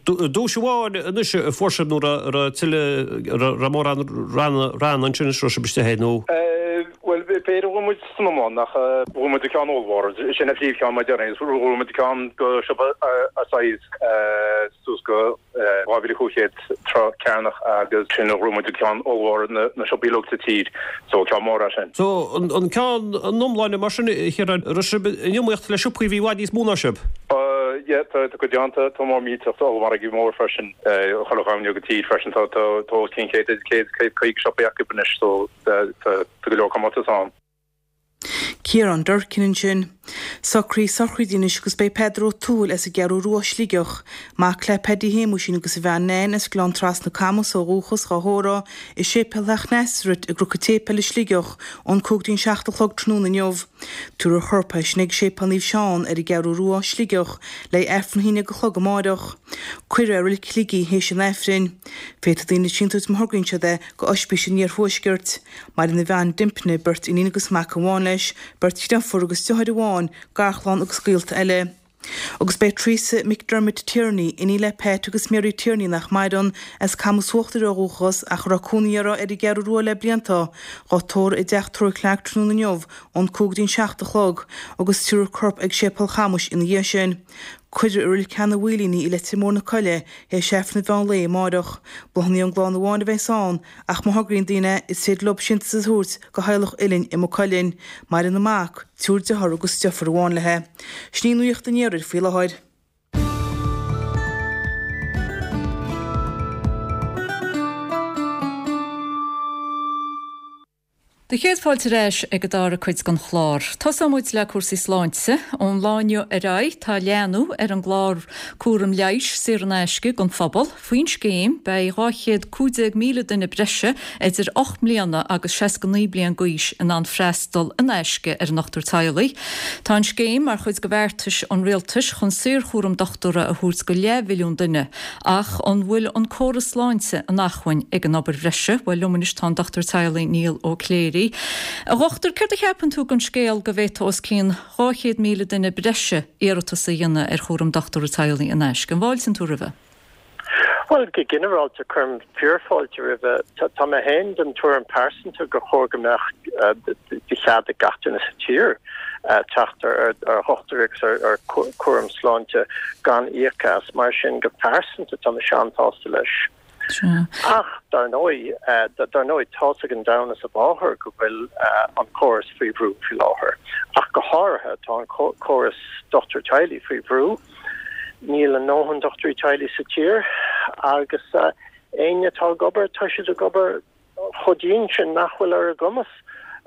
duais amháin anois a fuair sibh nó raibh tuilleadh raibh mórán ranna ansin is raibh sibh istigh air nó? Bhuel b'fhéidir go bhfuil muid san iomlán ach bhuaigh muid an ceann ollmhór, sin an phríomhcheann mar déarfainn, bhuaigh muid ceann go siopa a size suas go dhá mhíle cúig chéad troigh cearnach agus sin a bhuaigh muid an ceann ollmhór na siopaí uilig sa tír, so ceann mór é sin. So an ceann an iomláine mar sin a Chiaráin, raibh sibh in iomaíocht le siopaí a bhí i bhfad níos mó ná sibh? Yeah, tá tá cuid déanta, tá mór millteach, tá ollmhargaí mór freisin, chuile dhomhan go tír freisin, tá tá tá os cionn céad céad céad caoga siopaí acu anois so tá tá go leor comórtas ann. Ciarán Durkin ansin. Socruithe sochraide anois agus beidh Peadar Ó Tuathail as an gCeathrú Rua, Sligeach, mac le Paddy Shéamuisín agus a bhean Nan as Gleann Trasna Camus ó dhúchas, dhá thórramh i Séipéal Theach Nasaret i gCnoc an tSéipéil i Sligeach ón cúig dtí'n seacht a chlog tráthnóna inniu. Tabharfar a chorp ansin ag Séipéal Naomh Seán ar an gCeathrú Rua, Sligeach, le Aifreann a haon déag a chlog amáireach. Cuirfear é i Reilig Shligigh théis an Aifrinn. Féadfaidh daoine síntiúis má thograíonn siad é go Oispís an Iarthuaiscirt. Maireann a bhean Dympna, beirt iníon agus mac amháin leis, beirt dhriofúr agus deartháir amháin, garchlann agus gaolta eile. Agus beidh Teresa McDermott Tierney, iníon le Pat agus Mary Tierney nach maireann, as Camus Uachtair ó dhúchas ach a raibh cónaí uirthi ar an gCeathrú Rua le blianta, dhá tórramh i dTeach Tórraimh Clarke tráthnóna inniu ón cúig dtí'n seacht a chlog agus tabharfar a corp ag Séipéal Chamuis ina dhiaidh sin. Cuirfear i Reilig Sheanadh Mhaoilín í i Leitir Móir na Coille théis Aifreann an mheán lae amáireach. Bláthanna ón gclann amháin a bheas ann ach má thograíonn daoine is féidir leo síntiús a thabhairt go theaghlach Uilinn i Maigh Cuilinn. Maireann a mac, triúr dearthár agus deirfiúr amháin léi. Sin í nuacht an iarthair faoi láthair. Do chéad fáilte ar ais ag an dara cuid den chlár. Tosóidh muid le cúrsaí sláinte. Ón lá inniu ar aghaidh tá leathnú ar an gclár cúram leighis saor in aisce don phobal. Faoin scéim beidh dhá chéad cúig déag míle duine breise idir ocht mbliana agus seasca naoi bliain d'aois in ann freastal in aisce ar an ndochtúir teaghlaigh. Tá an scéim mar chuid de bheartais an rialtais chun saorchúram dochtúra a thabhairt go leathmhilliún duine. Ach an bhfuil an córas sláinte in acmhainn ag an obair bhreise? Bhuel liom anois tá an dochtúir teaghlaigh Niall Ó Cléirigh. A dhochtúir, céard a cheapann tú den scéal go bhféadfadh os cionn dhá chéad míle duine breise iarratas a dhéanamh ar chúram dochtúra teaghlaigh in aisce? An bhfáiltíonn tú roimhe? Bhuel, go ginearálta, cuirim fíorfháilte roimhe. Tá mé féin den tuairim pearsanta gur chóir go mbeadh de chead ag gach duine sa tír teacht ar dhochtúir agus ar chúram sláinte gan íoc as. Mar sin, go pearsanta, tá mise an-sásta leis. Ach, dar ndóigh, dar ndóigh, tá's ag an domhan is a mháthair go bhfuil an córas faoi bhrú faoi láthair. Ach go háirithe, tá an córas dochtúir teaghlaigh faoi bhrú. Níl a ndóthain dochtúirí teaghlaigh sa tír agus éinne atá ag obair, tá siad ag obair chomh dian sin nach bhfuil ar a gcumas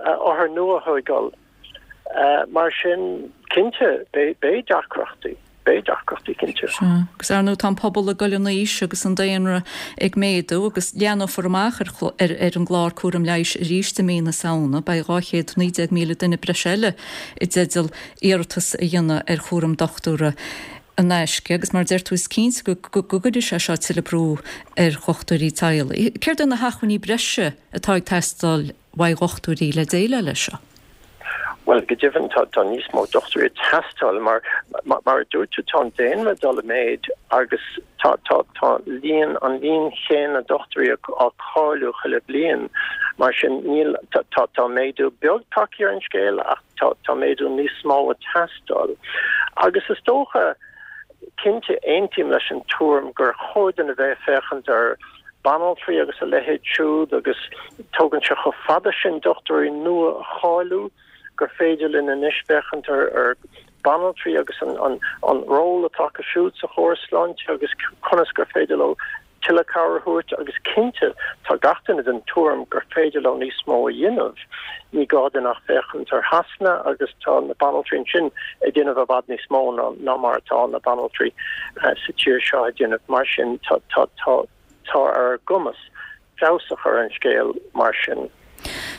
othair nua a thóigeáil. Mar sin, cinnte, beidh deacrachtaí. Beidh deacrachtaí, cinnte. Sea. Agus ar ndóigh tá an pobal ag dul in aois agus an daonra ag méadú agus leathnófar amach ar ar an gclár cúram leighis arís i mí na Samhna. Beidh dhá chéad naoi déag míle duine breise eile i dteideal iarratas a dhéanamh ar chúram dochtúra in aisce agus mar a deir tú is cinnte go gcuirfidh sé seo tuilleadh brú ar dhochtúirí teaghlaigh. Céard é na hacmhainní breise atá ag teastáil uaidh dhochtúirí le déileáil leis seo? Bhuel, go deimhin tá tá níos mó dochtúirí ag teastáil mar mar a dúirt tú tá an daonra ag dul i méid agus tá tá tá líon an líon chéanna dochtúirí á cáiliú chuile bhliain. Mar sin níl tá tá tá méadú beag tagtha ar an scéal ach tá tá méadú níos mó ag teastáil. Agus is dócha cinnte aontaím leis an tuairim gur chóir dúinn a bheith ag féachaint ar banaltraí agus a leithéid siúd agus tógann sé chomh fada sin dochtúirí nua a cháiliú gur féidir linn anois féachaint ar ar banaltraí agus an an an ról atá acu siúd sa chóras sláinte agus conas gur féidir leo tuilleadh cabhair a thabhairt agus cinnte tá gach duine den tuairim gur féidir leo níos mó a dhéanamh. Ní gá dúinn ach féachaint ar Shasana agus tá na banaltraí ansin ag déanamh i bhfad níos mó ná ná mar atá na banaltraí sa tír seo ag déanamh. Mar sin tá tá tá tá ar ár gcumas feabhas a chur ar an scéal mar sin.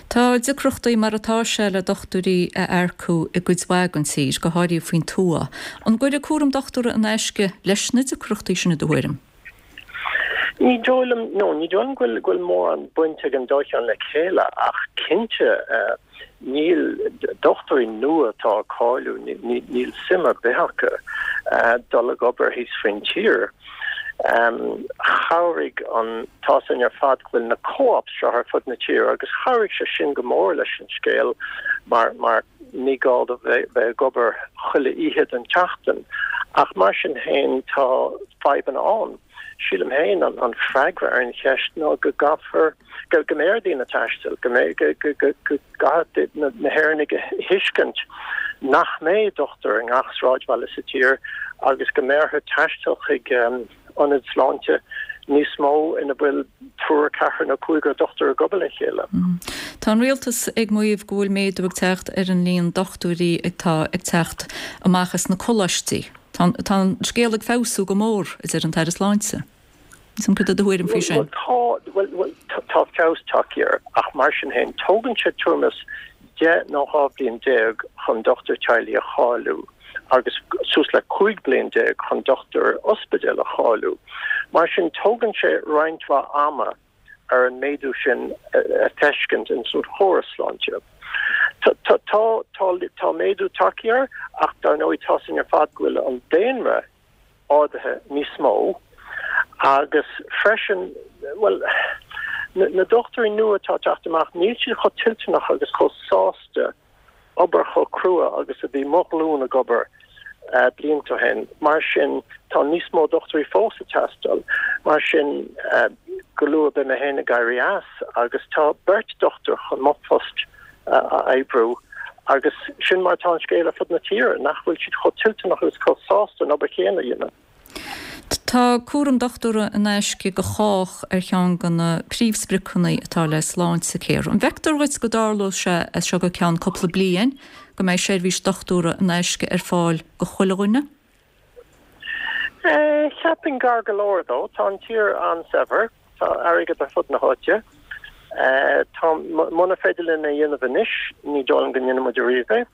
Tá deacrachtaí mar atá sé le dochtúirí a earcú i gcuid mhaith den tír, go háirithe faoin tuath. An gcuirfidh cúram dochtúra in aisce leis na deacrachtaí sin i do thuairim? Ní dóigh liom, no, ní dóigh liom go bhfuil, go bhfuil mórán baint ag an dá cheann le chéile ach cinnte níl, dochtúirí nua atá ag cáiliú, níl suim ar bith acu dul ag obair thíos faoin tír. Chabhraigh an tá a fhios againn ar fad go bhfuil na co-ops seo ar fud na tíre agus chabhraigh sé sin go mór leis an scéal mar mar ní gá do bheith ag obair chuile oíche den tseachtain. Ach mar sin féin tá fadhbanna ann. Sílim féin an an freagra ar an cheist ná go gcaithfear go go mbeidh ar daoine taisteal, go mbeidh go go go go gcaithfidh na na hÉireannaigh a thuiscint nach mbeidh dochtúir i ngach sráidbhaile sa tír agus go mbeidh orthu taisteal chuig ionaid sláinte níos mó ina bhfuil triúr, ceathrar nó cúigear dochtúir ag obair le chéile. Tá an rialtas ag maíomh go bhfuil méadú ag teacht ar an líon dochtúirí atá ag teacht amach as na coláistí. Tá tá an scéal ag feabhsú go mór, a deir an tAire Sláinte. Is an cad é do thuairim faoi sin? Bhuel, tá, bhuel, bhuel, tá feabhas tagtha air, ach mar sin féin, tógann sé tuairim is deich nó dhá bhliain déag chun dochtúir teaghlaigh a cháiliú agus suas le cúig bliain déag chun dochtúir ospidéil a cháiliú. Mar sin, tógann sé roinnt mhaith ama ar an méadú sin a feiscint in san chóras sláinte. Tá, tá, tá, tá méadú tagtha air ach dar ndóigh tá a fhios againn ar fad go bhfuil an daonra ardaithe níos mó agus freisin, bhuel, na dochtúirí nua atá ag teacht amach, níl siad chomh toilteanach agus chomh sásta obair chomh crua agus a bhí mo ghlúin ag obair blianta ó shin. Mar sin, tá níos mó dochtúirí fós ag teastáil. Mar sin, go luath beidh mé féin ag éirí as agus tá beirt dochtúir chun mo phost a oibriú agus sin mar atá an scéal ar fud na tíre, nach bhfuil siad chomh toilteanach agus chomh sásta an obair chéanna a dhéanamh. Tá cúram dochtúra in aisce go chách ar cheann de na príomhspriocanna atá le Sláintecare. An bhfeictear dhuit go dtarlóidh sé as seo go ceann cúpla bliain go mbeidh seirbhís dochtúra in aisce ar fáil go chuile dhuine? Cheapfainn gar go leor dó. Tá an tír an-saibhir, tá airgead ar fud na háite. Tá, muna féidir linn é a dhéanamh anois, ní dóigh liom go ndéanfaidh muid ariamh é.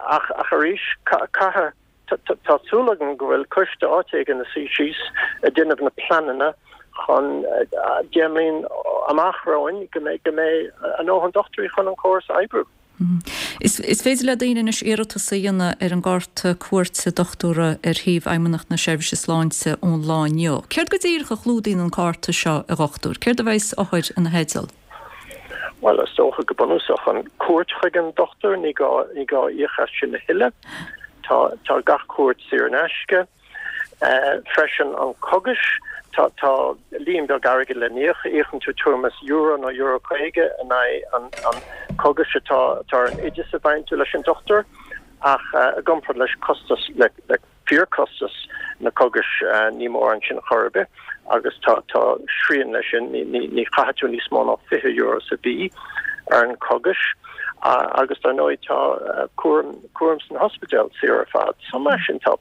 Ach, ach arís, caithfidh, tá súil agam go bhfuil coiste áit éigin ina suí síos ag déanamh na pleananna chun deich mbliain amach romhainn go mbeidh, go mbeidh a ndóthain dochtúirí chun an córas a oibriú. Is féidir le daoine anois iarratas a dhéanamh ar an gcárta cuairte dochtúra ar shuíomh Fheidhmeannacht na Seirbhíse Sláinte ón lá inniu. Céard go díreach a chlúdaíonn an cárta seo, a dhochtúir? Céard a bheidh othair ina theideal? Bhuel, is dócha go bunúsach an cuairt chuig an dochtúir, ní gá, ní gá íoc as sin a thuilleadh. Tá, tá gach cuairt saor in aisce. Freisin an cogais, tá, tá líon beag airgid le n-íoc, íocann tú tuairim is euro nó euro caoga in aghaidh an, an cogais atá, atá ar an oideas a bhfaigheann tú leis an dochtúir ach i gcomparáid leis costas, le, le fíorchostas na cogais ní mórán sin chor ar bith agus tá, tá srian leis sin, ní, ní, ní chaithfidh tú níos mó ná fiche euro sa mhí ar an cogais agus dar ndóigh tá cúram, cúram san ospidéal saor ar fad. So mar sin tá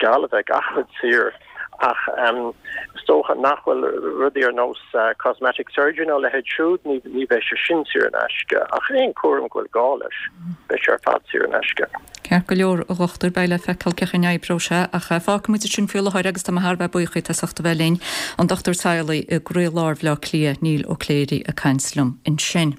geall a bheith gach rud saor ach is dócha nach bhfuil rudaí ar nós cosmetic surgery nó a leithéid siúd, ní ní bheidh sé sin saor in aisce ach aon cúram go bhfuil gá leis, beidh sé ar fad saor in aisce. Ceart go leor, a dhochtúir, beidh le feiceáil cén chaoi a n-oibreoidh sé ach fágfaidh muid sin faoi láthair agus tá mé thar a bheith buíoch díot as ucht a bheith linn, an dochtúir teaghlaigh i gcroílár Bhaile Átha Cliath, Neil Ó Cléirigh ag caint liom ansin.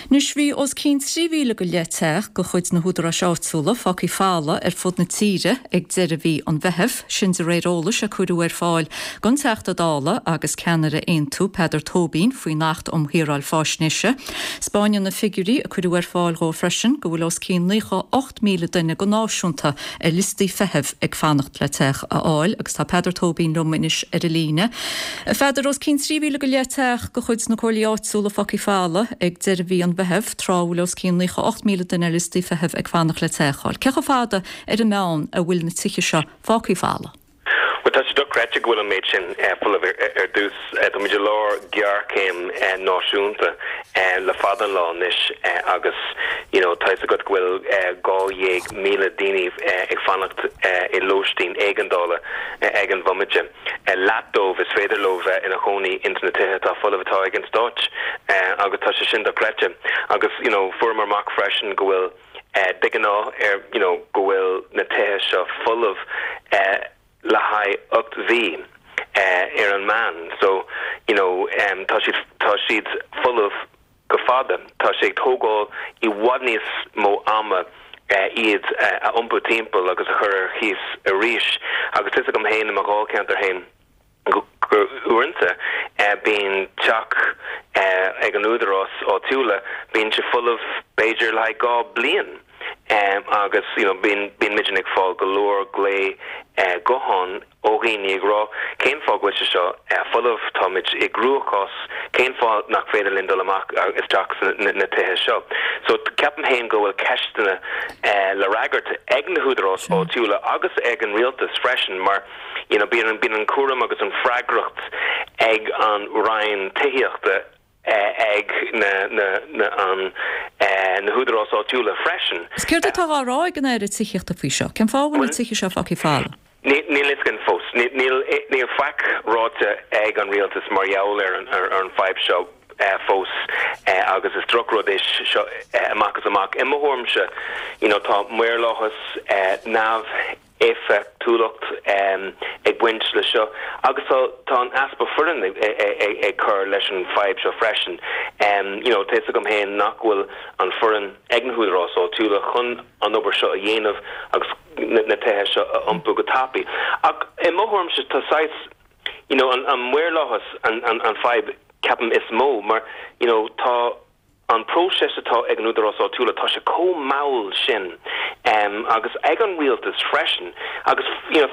Anois bhí os cionn trí mhíle go leith teach de chuid na húdaráis áitiúla fágtha folamh ar fud na tíre ag deireadh mhí an Mheithimh, sin de réir eolais a cuireadh ar fáil don Teachta Dála agus ceannaire Aontú, Peadar Tóibín, faoin Acht um Shaoráil Faisnéise. 'Spáineann na figiúirí a cuireadh ar fáil dhó freisin go bhfuil os cionn naocha ocht míle duine go náisiúnta ar liostaí feithimh ag fanacht le teach a fháil agus tá Peadar Tóibín liom anois ar an líne. A Pheadair, os cionn trí mhíle go leith teach de chuid na comhairlí áitiúla fágtha folamh ag deireadh mhí an Mheithimh, tráth a bhfuil os cionn naocha ocht míle duine ar liostaí feithimh ag fanacht le teach a fháil. Cé chomh fada ar an meán a bhfuil na tithe seo fágtha folamh? Bhuel, tá sé dochreidte go bhfuil an méid sin folamh ar dtús. Tá muid i lár géarchéim náisiúnta le fada an lá anois agus you know tá fhios agat go bhfuil dhá dhéag míle daoine ag fanacht i lóistín éigeandála ag an bhomaite. Leath dóibh is féidir leo bheith ina chónaí ins na tithe atá folamh atá ag an stáit agus tá sé sin dochreidte. Agus you know fuaireamar amach freisin go bhfuil de ghnáth ar you know go bhfuil na tithe seo folamh le haghaidh ocht mhí ar an meán so you know tá siad tá siad folamh go fada. Tá sé ag tógáil i bhfad níos mó ama iad a iompú timpeall agus a chur ar chíos arís. Agus tá fhios agam féin i mo dháilcheantar féin gur uaireanta bíonn teach ag an údarás áitiúla, bíonn sé folamh b'fhéidir le haghaidh dhá bliain agus you know bíonn bíonn muidne ag fáil go leor glao gutháin ó dhaoine ag rá cén fáth go bhfuil sé seo folamh, táimid i gcruachás, cén fáth nach féidir linn dul amach isteach sna na tithe seo. So ceapaim féin go bhfuil ceisteanna le fhreagairt ag na húdaráis áitiúla agus ag an rialtas freisin mar you know bíonn bíonn an cúram agus an freagracht ag an Roinn Tithíochta ag na na na an na húdaráis áitiúla freisin. Is céard atá á rá ag an Aire Tithíochta faoi seo? Cén fáth a bhfuil na tithe seo fágtha folamh? Níl a fhios againn fós. Níl níl faic ráite ag an rialtas mar gheall ar an ar an fadhb seo fós agus is drochrud é seo amach is amach. I mo thuairimse, you know, tá maorlathas neamh éifeachtúlacht ag baint le seo agus tá tá an easpa foireann ag cur leis an fadhb seo freisin. You know, tá fhios agam féin nach bhfuil an foireann ag na húdaráis áitiúla chun an obair seo a dhéanamh agus na tithe seo a iompú go tapaidh. Ach i mo thuairimse tá saghas, you know, an an maorlathas an an an fadhb ceapaim is mó mar, you know, tá an próiseas atá ag an údarás áitiúla, tá sé chomh mall sin agus ag an rialtas freisin agus you know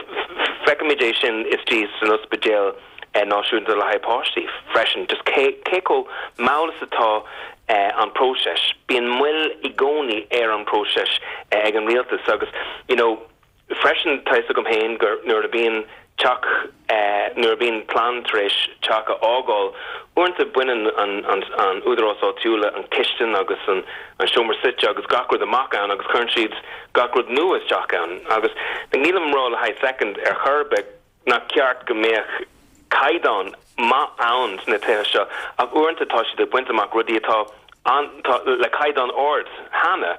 feicimid é sin istigh san ospidéal náisiúnta le haghaidh páistí freisin, just cé cé chomh mall is atá an próiseas. Bíonn moill i gcónaí ar an próiseas ag an rialtas agus you know Freisin, tá fhios agam féin gur nuair a bhíonn teach, nuair a bhíonn clann tar éis teach a fhágáil, uaireanta baineann an údarás áitiúla an chistin agus an seomra suite agus gach rud amach ann agus cuireann siad gach rud nua isteach ann. Agus nílim ag rá le haghaidh soicind ar chor ar bith nach ceart go mbeadh caighdeán maith ann sna tithe seo ach uaireanta tá siad ag baint amach rudaí atá atá le caighdeán ard cheana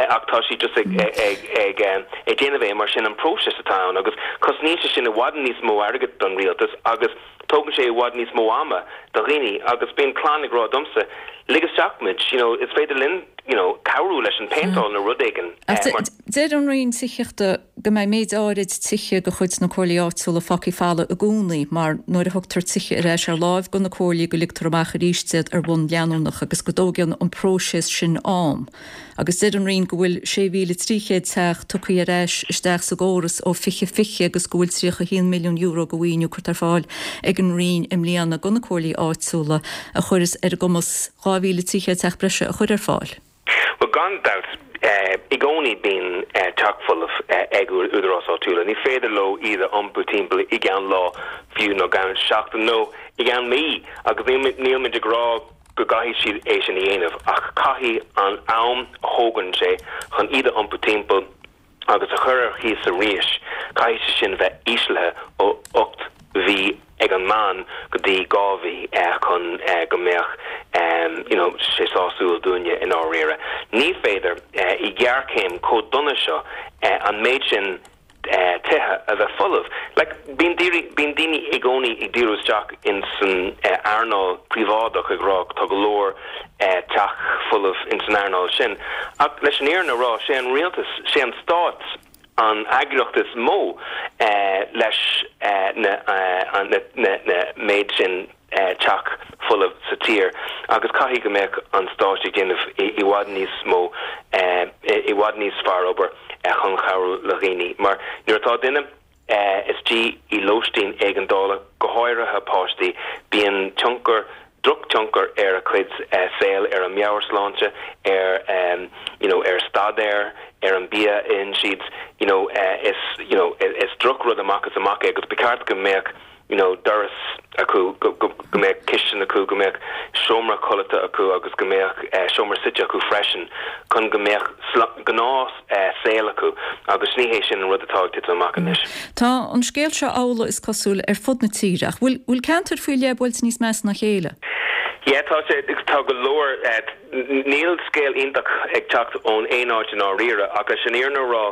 ach tá siad just ag ag ag ag déanamh é mar sin an próiseas atá ann agus cosnaíonn sé sin i bhfad níos mó airgid don rialtas agus tógann sé i bhfad níos mó ama do dhaoine agus bíonn clann ag rá domsa lig isteach muid you know is féidir linn you know cabhrú leis an péinteáil nó rud éigin mar Deir an Roinn Tithíochta go mbeidh méid áirid tithe de chuid na comhairlí áitiúla fágtha folamh i gcónaí mar nuair a thugtar tithe ar ais ar láimh do na comhairlí go ligtear amach arís iad ar bhonn leanúnach agus go dtógann an próiseas sin am. Agus deir an Roinn go bhfuil sé mhíle trí chéad teach tugtha ar ais isteach sa gcóras ó fiche fiche agus go bhfuil tríocha a haon milliún euro de mhaoiniú curtha ar fáil ag an Roinn i mbliana do na comhairlí áitiúla a chuirfeas ar a gcumas dhá mhíle trí chéad teach breise a chur ar fáil. Bhuel, gan dabht, i gcónaí bíonn teach folamh ag údarás áitiúla. Ní féidir leo iad a iompú timpeall i gceann lá fiú nó i gceann seachtain nó i gceann mí agus níl muid ag rá go gcaithfidh siad é sin a dhéanamh ach caithfidh an am a thógann sé chun iad a iompú timpeall agus a chur ar chíos arís, caithfidh sé sin bheith íslithe ó ocht mhí ag an meán go dtí dhá mhí chun go mbeadh you know sé sásúil dúinne i ndáiríre. Ní féidir i ngéarchéim chomh dona seo an méid sin tithe a bheith folamh. Like bíonn bíonn daoine i gcónaí ag díriú isteach in san earnáil príobháideach ag rá tá go leor teach folamh in san earnáil sin ach leis an fhírinne a rá sé an rialtas, sé an stát an eagraíocht is mó leis na na méid sin teach folamh sa tír agus caithfidh go mbeadh an stát ag déanamh i bhfad níos mó i bhfad níos fearr obair chun cabhrú le dhaoine mar nuair atá duine istigh i lóistín éigeandála, go háirithe páistí, bíonn tionchar drochthionchar ar a cuid saoil, ar a meabhairshláinte, ar you know ar staidéar, ar an bia a itheann siad, you know is you know is drochrud amach is amach é agus ba cheart go mbeadh you know doras acu, go go go mbeadh cistin acu, go mbeadh seomra codlata acu agus go mbeadh seomra suite acu freisin chun go mbeadh gnáth saol acu agus ní hé sin an rud atá ag titim amach anois. Tá an scéal seo amhlaidh is cosúil ar fud na tíre ach bhfuil bhfuil ceantair faoi leith buailte níos measa ná a chéile? Yeah, tá sé tá go leor níl scéal iontach ag teacht ón aon áit i ndáiríre ach leis an fhírinne a rá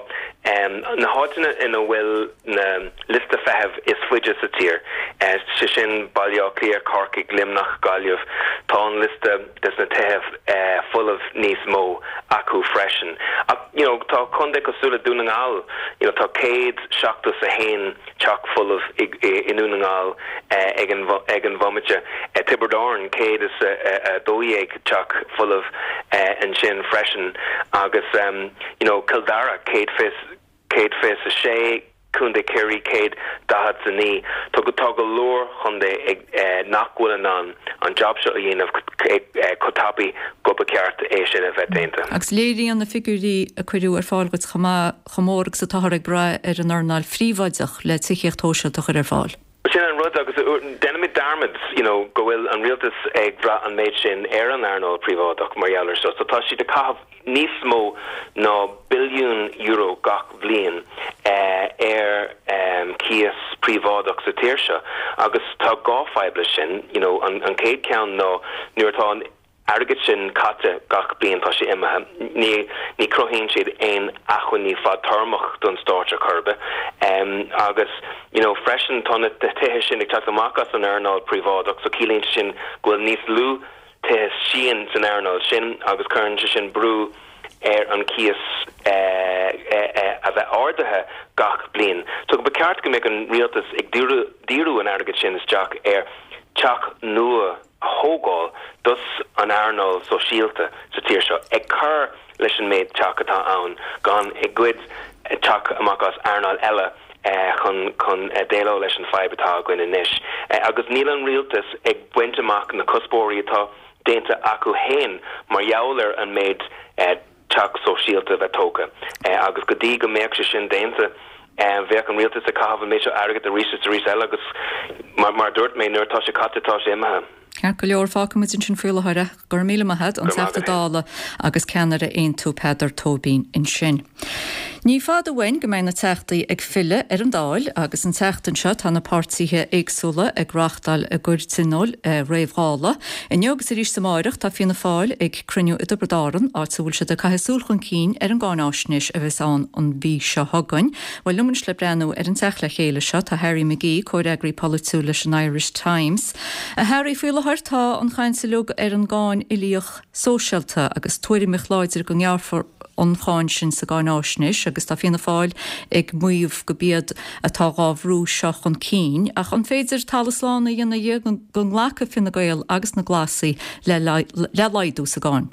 na háiteanna ina bhfuil na liosta feithimh is faide sa tír, sé sin Baile Átha Cliath, Corcaigh, Luimneach, Gaillimh, tá an liosta des na tithe folamh níos mó acu freisin. Ach you know tá contae cosúil le Dún na nGall, you know tá céad seachtó is a haon teach folamh i i nDún na nGall ag an ag an bhomaite. Tiobraid Árann, céad is a dó dhéag teach folamh ansin freisin agus you know Cill Dara, céad fiche céad fiche a sé, Contae Chiarraí, céad daichead is a naoi. Tá tá go leor chontae ag nach bhfuil in ann an jab seo a dhéanamh chomh tapaidh go ba cheart é sin a bheith déanta. Agus léiríonn na figiúirí a cuireadh ar fáil duit chomh maith chomh mór agus atáthar ag brath ar an earnáil phríobháideach le tithíocht shóisialta a chur ar fáil. Sin an rud agus déanaimid dearmad you know go bhfuil an rialtas ag brath an méid sin ar an earnáil phríobháideach mar gheall ar seo. So tá siad ag caitheamh níos mó ná billiún euro gach bliain ar cíos príobháideach sa tír seo agus tá dhá fadhb leis sin. You know an an chéad ceann ná nuair atá an airgead sin caite gach bliain tá sé imithe. Ní ní chruthaíonn siad aon acmhainní fadtéarmach don stát ar chor ar bith. Agus you know freisin tá na tithe sin ag teacht amach as an earnáil príobháideach so ciallaíonn sé sin go bhfuil níos lú tithe síon san earnáil sin agus cuireann sé sin brú ar an cíos a bheith ardaithe gach bliain. So ba cheart go mbeadh an rialtas ag díriú an airgead sin isteach ar teach nua a thógáil dos an earnáil sóisialta sa tír seo, ag cur leis an méid teach atá ann, gan ag goid teach amach as earnáil eile chun chun déileáil leis an fadhb atá againn anois. Agus níl an rialtas ag baint amach na cuspóirí atá déanta acu féin mar gheall ar an méid teach sóisialta a bheith tógtha. Agus go dtí go mbeadh sé sin déanta, bheadh an rialtas ag caitheamh an méid seo airgid arís is arís eile agus mar a dúirt mé, nuair atá sé caite tá sé imithe. Ceart go leor, fágfaidh muid ansin faoi láthair é. Go raibh míle maith agat, an Teachta Dála agus ceannaire Aontú Peadar Tóibín ansin. Ní fada uainn go mbeidh na Teachtaí ag filleadh ar an Dáil agus an tseachtain seo tá na páirtithe éagsúla ag reáchtáil a gcuid tionóil réamh-Dhála. Inniu agus arís amárach tá Fianna Fáil ag cruinniú i dTiobraid Árann, áit a bhfuil siad ag caitheamh súil chun cinn ar an gcáináisnéis a bheas ann an mhí seo chugainn. Bhuel, liom anois le breathnú ar an teacht le chéile seo tá Harry McGee, comhfhreagraí polaitiúil leis an Irish Times. A Harry, faoi láthair tá an chaint uilig ar an gcáin uilíoch sóisialta agus tuairimíocht láidir go ngearrfar an cháin sin sa gcáináisnéis agus tá Fianna Fáil ag maíomh gurb iad atá dhá bhrú seo chun cinn. Ach an féidir talamh slán a dhéanamh dhe go nglacfaidh Fine Gael agus na Glasaigh le le laghdú sa gcáin?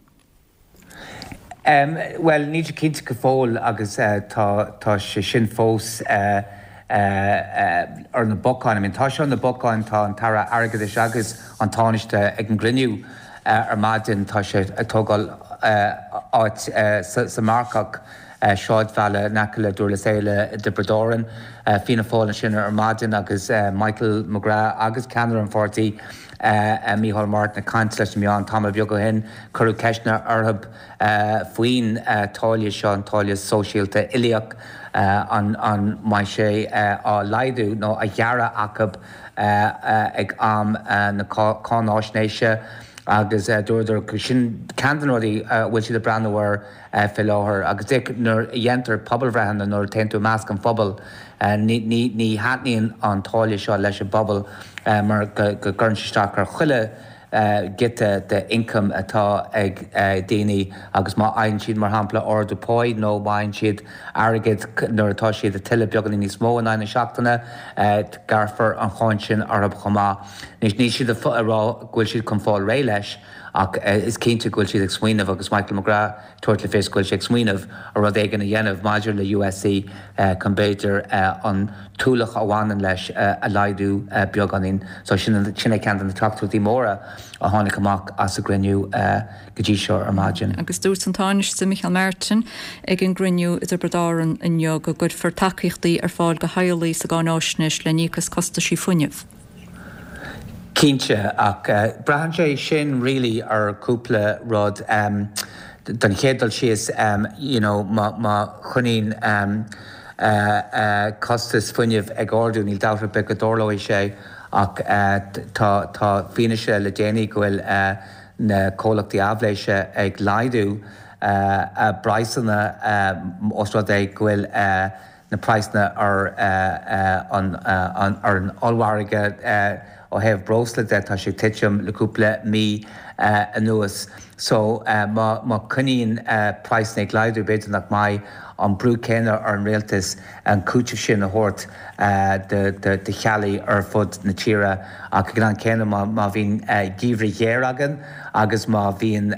Um, well, níl sé cinnte go fóill agus uh, tá, tá sé sin fós uh, uh, uh, ar na bacáin. I mean, tá sé ar na bacáin tá an tAire Airgeadais agus an Tánaiste ag an gcruinniú uh, ar maidin tá sé ag tógáil uh, áit uh, sa, sa Marcach uh, sráidbhaile in aice le Durlas Éile i dTiobraid Árann. Uh, Fianna Fáil ansin ar maidin agus uh, Michael McGrath agus ceannaire an pháirtí uh, uh, Micheál Martin ag caint leis na meáin tamall beag ó shin cuireadh ceisteanna orthu uh, faoin uh, táille seo an táille sóisialta uilíoch uh, an, an mbeidh sé uh, á laghdú nó á ghearradh acu uh, uh, ag am uh, na cáináisnéise agus uh, dúradar sin ceann de na rudaí uh, bhfuil siad ag breathnú air uh, faoi láthair agus nuair a dhéantar pobalbhreitheanna nuair a théann tú i measc an phobail uh, ní, ní, ní thaitníonn an táille seo leis an bpobal uh, mar go, go gcuireann sé isteach ar chuile uh, giota de income atá ag uh, daoine agus má fhaigheann siad mar shampla ardú páí nó má fhaigheann siad airgead nuair atá siad ag tuilleamh beagáinín níos mó in aghaidh na seachtaine uh, gearrfar an cháin sin orthu chomh maith. Níl níl siad ag rá go bhfuil siad chun fáil réidh leis ach uh, is cinnte go bhfuil siad ag smaoineamh agus Michael McGrath ag tabhairt le fios go bhfuil sé ag smaoineamh ar rud éigin a dhéanamh maidir le USC uh, chun b'fhéidir uh, an t-ualach a bhaineann leis uh, a laghdú uh, beagáinín. So sin sin é ceann de na teachtaireachtaí móra a tháinig amach as an gcruinniú uh, go dtí seo ar maidin. Agus dúirt an Tánaiste Micheál Martin ag an gcruinniú i dTiobraid Árann inniu go gcuirfear tacaíochtaí ar fáil do theaghlaigh sa gcáináisnéis le n-íoc as costaisí fuinnimh. Cinnte ach uh, braitheann sé sin really ar cúpla rud um, don chéad dul síos um, you know, má, má choinníonn um, uh, uh, costas fuinnimh ag ardú níl dabht ar bith go dtarlóidh sé Ach tá tá fianaise le déanaí go bhfuil na comhlachtaí aibhléise ag laghdú a bpraghsanna os rud é go bhfuil na praghsanna ar an ar an ollmhargadh ó thaobh breosla de tá sé ag titim le cúpla mí anuas. So má má choinníonn praghsanna ag laghdú b'fhéidir nach mbeidh an brú céanna ar an rialtas an cúiteamh sin a thabhairt do theaghlaigh ar fud na tíre. Ach ag an am céanna má má bhíonn geimhreadh géar againn agus má bhíonn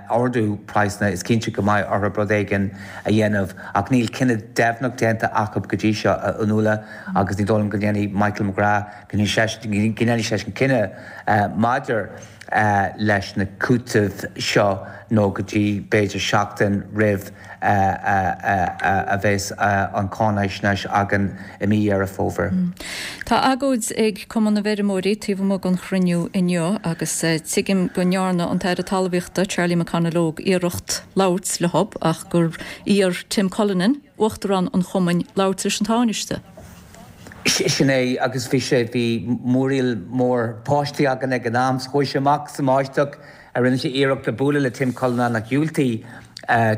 ardú praghsanna is cinnte go mbeidh orthu rud éigin a dhéanamh. Ach níl cinneadh deimhneach déanta acu go dtí seo, a Fhionnuala, agus ní dóigh liom go ndéanfaidh Michael McGrath, go ndéanfaidh seisean cinneadh maidir leis na cúitimh seo nó go dtí b'fhéidir seachtain roimh a bheas an cháinaisnéis againn i mí Dheireadh Fómhair. Tá agóid ag Cumann na bhFeirmeoirí taobh amuigh den chruinniú inniu agus tuigim go ndearna an tAire Talmhaíochta Charlie McConalogue iarracht labhairt leo ach gur iarr Tim Cullinan, Uachtarán an Chumainn, labhairt leis an Tánaiste. Sin é, agus bhí sé, bhí múraíl mór báistí againn ag an am, so chuaigh sé amach sa mbáisteach, rinne sé iarracht le bualadh le Tim Cullinan ach dhiúltaigh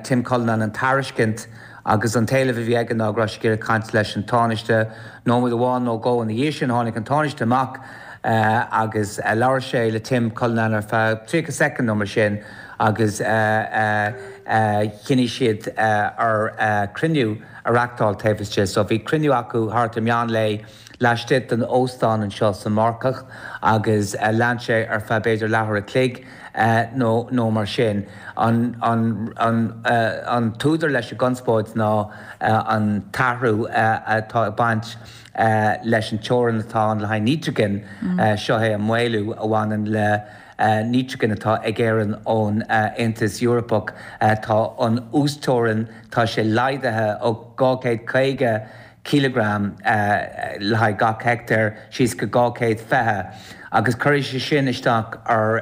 Tim Cullinan an tairiscint agus an t-éileamh a bhí aige ná go raibh sé ag iarraidh caint leis an Tánaiste. Nóiméad amháin nó dhó ina dhiaidh sin tháinig an Tánaiste amach agus labhair sé le Tim Cullinan ar feadh tríocha soicind nó mar sin agus chinntigh siad ar cruinniú a reachtáil taobh istigh. So bhí cruinniú acu thart ar meán lae laistigh den óstán anseo sa Mharcach agus lean sé ar feadh b'fhéidir leathuair a chloig nó nó mar sin. An an an an t-údar leis an gconspóid ná an t-athrú atá ag baint leis an teorainn atá ann le haghaidh nítrigin. Seo é an maolú a bhaineann le nítrigin atá ag Éirinn ón Aontas Eorpach. Tá an uasteorainn, tá sé laghdaithe ó dhá chéad caoga cileagram le haghaidh gach heicteár síos go dhá chéad fiche agus cuirfidh sé sin isteach ar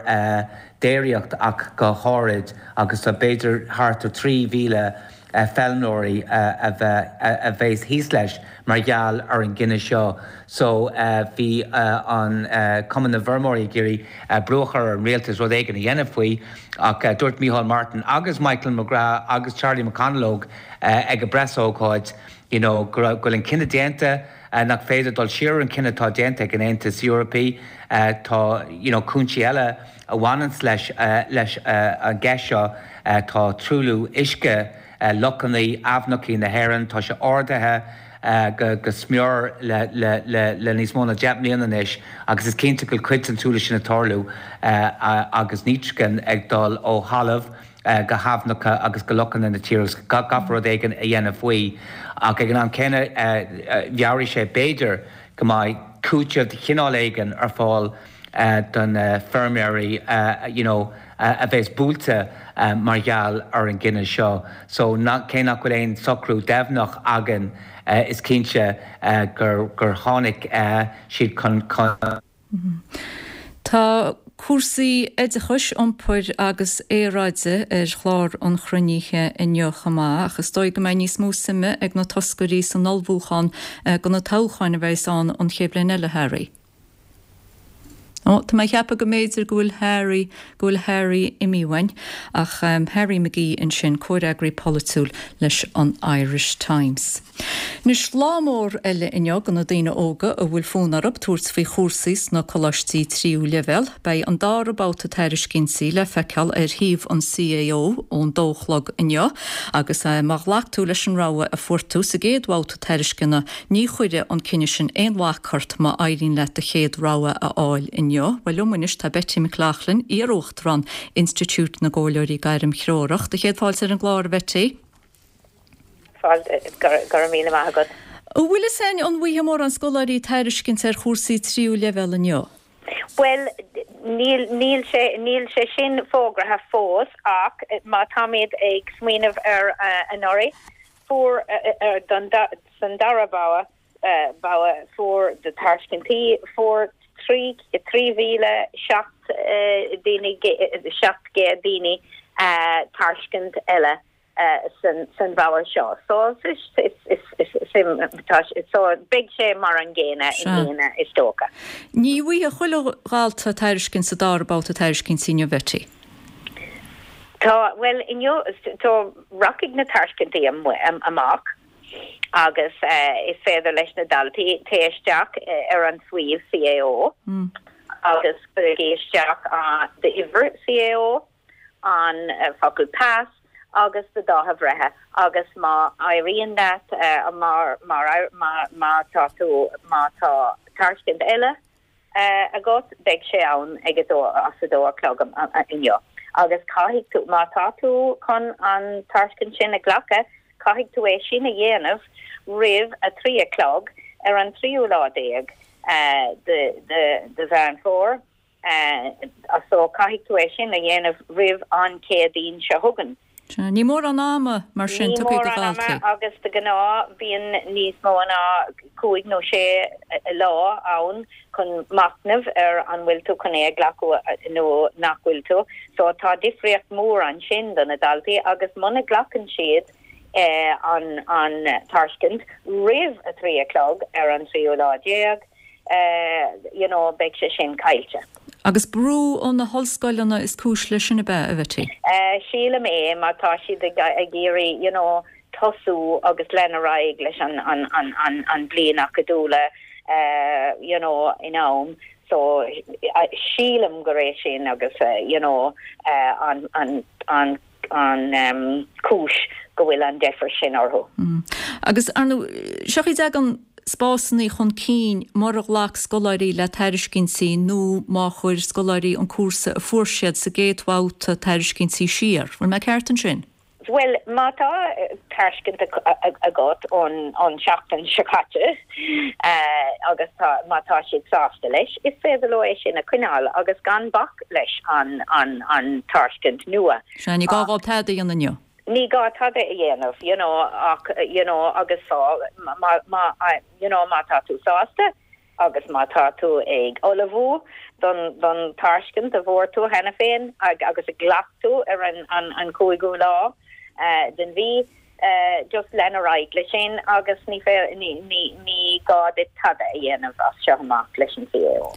déiríocht ach go háirid agus tá b'fhéidir thart ar trí mhíle feilméaraí a bheith a bheas thíos leis mar gheall ar an gcinneadh seo. So bhí an Cumann na bhFeirmeoirí ag iarraidh brú a chur ar an rialtas rud éigin a dhéanamh faoi ach dúirt Micheál Martin agus Michael McGrath agus Charlie McConalogue ag an bpreasócáid you know go raibh go bhfuil an cinneadh déanta nach féidir dul siar ar an cinneadh atá déanta ag an Aontas Eorpaí. Tá you know cúinsí eile a bhaineanns leis leis an gceist seo. Tá truailliú uisce lochanna, aibhneacha na hÉireann, tá sé ardaithe go go smior le le le le níos mó ná deich mbliana anois agus is cinnte go bhfuil cuid den truailliú sin ag tarlú agus nítrigin ag dul ó thalamh go haibhneacha agus go lochanna na tíre agus caithfear rud éigin a dhéanamh faoi. Ach ag an am céanna mheabhraigh sé b'fhéidir go mbeidh cúiteamh de chineál éigin ar fáil do na feirmeoirí you know a bheas buailte mar gheall ar an gcinneadh seo. So cé nach bhfuil aon socrú deimhneach againn is cinnte gur gur tháinig siad chun chun Tá cúrsaí oideachais, iompair agus aeráide ar chlár an chruinnithe inniu chomh maith, ach is dóigh go mbeidh níos mó suime ag na toscairí san ullmhúchán do na toghcháin a bheas ann an chéad bhliain eile, Harry. Ó, tá mé ag ceapadh go mb'fhéidir go bhfuil Harry, go bhfuil Harry imithe uainn, ach Harry McGee ansin, comhfhreagraí polaitiúil leis an Irish Times. Anois, lá mór eile inniu do na daoine óga a bhfuil fonn orthu tabhairt faoi chúrsaí sna coláistí tríú leibhéal. Beidh an dara babhta tairiscintí le feiceáil ar shuíomh an CAO ón dó a chlog inniu agus má ghlac tú leis an rogha a fuair tú sa gcéad bhabhta tairisceana ní chuirfidh an cinneadh sin aon bhac ort má éiríonn leat do chéad rogha a fháil inniu. Bhuel liom anois tá Betty McLaughlin, iar-uachtarán Institiúid na gComhairleoirí Gairmthreorach. Do chéad fáilte ar an gclár, a Bhetty. Fáilte, go raibh míle maith agat. An bhfuil fhios againn an bhfaighidh mórán scoláirí tairiscint ar chúrsaí tríú leibhéal inniu? Bhuel, níl, níl sé, níl sé sin fógraithe fós ach má táimid ag smaoineamh ar anuraidh, fuair, don, san dara babhta, babhta, fuair de tairiscintí, fuair trí, trí mhíle seacht daoine, seacht gcéad daoine tairiscint eile. san bhabhta seo. So is suim tá so beidh sé mar an gcéanna i mbliana is dócha. Ní bhfaighidh chuile dhalta tairiscint sa dara babhta tairiscintí inniu Betty. Tá well inniu tá rachaidh na tairiscintí amach agus uh, is féidir leis na daltaí téigh isteach ar an suíomh CAO mm. agus cuirigí isteach uh, d'uimhir CAO an uh, focal pas agus do dháta breithe agus má éiríonn leat uh, mar mar má má tá tú má tá tairiscint eile uh, agat beidh sé ann ag a dó as a dó a chlog inniu. Agus caithfidh tú má tá tú chun an tairiscint sin a ghlacadh caithfidh tú é sin a dhéanamh roimh a trí a chlog ar an tríú lá déag uh, de de de Mheán Fómhair uh, so caithfidh tú é sin a dhéanamh roimh an Chéadaoin seo chugainn. Ní mórán ama mar sin tugtha do dhaltaí. agus de ghnáth bíonn níos mó ná cúig nó sé lá ann chun machnamh ar an bhfuil tú chun é a ghlacadh nó nach bhfuil tú, so tá difríocht mór ansin do na daltaí agus muna nglacann siad eh, an an tairiscint roimh a trí a chlog ar an tríú lá déag, eh, you know, beidh sé sin caillte. Agus brú ó na hollscoileanna is cúis leis sin ab ea a Bhetty. Uh, sílim é má tá siad ag ag iarraidh you know, tosú agus lean ar aghaidh leis an an an an an bliain acadúil uh, you know, in am. So uh, sílim gur é sin agus uh, you know, uh, an an an an um, cúis go bhfuil an deifir sin orthu. Mm. Agus arnú seochaí an spásanna chun cinn mura ghlac scoláirí le tairiscintí nó má chuir scoláirí an cúrsa a fuair siad sa gcéad bhabhta tairiscintí siar. Bhfuil mé ceart ansin? Well má tá tairiscint agat ón an seachtain seo caite uh, agus tá má tá siad sásta leis, is féidir leo é sin a choinneáil agus gan bac leis an an an tairiscint nua. Sea ní gá dóibh tada a dhéanamh inniu. Ní gá tada a dhéanamh, you know, ach you know, agus sá má má you know, má tá tú sásta agus má tá tú ag ullmhú don don tairiscint a bhfuair tú cheana féin ag, agus a ghlac tú ar an an, an cúigiú lá uh, den mhí uh, just lean ar aghaidh leis sin agus ní ní ní ní gá duit tada a dhéanamh as seo amach leis an CAO.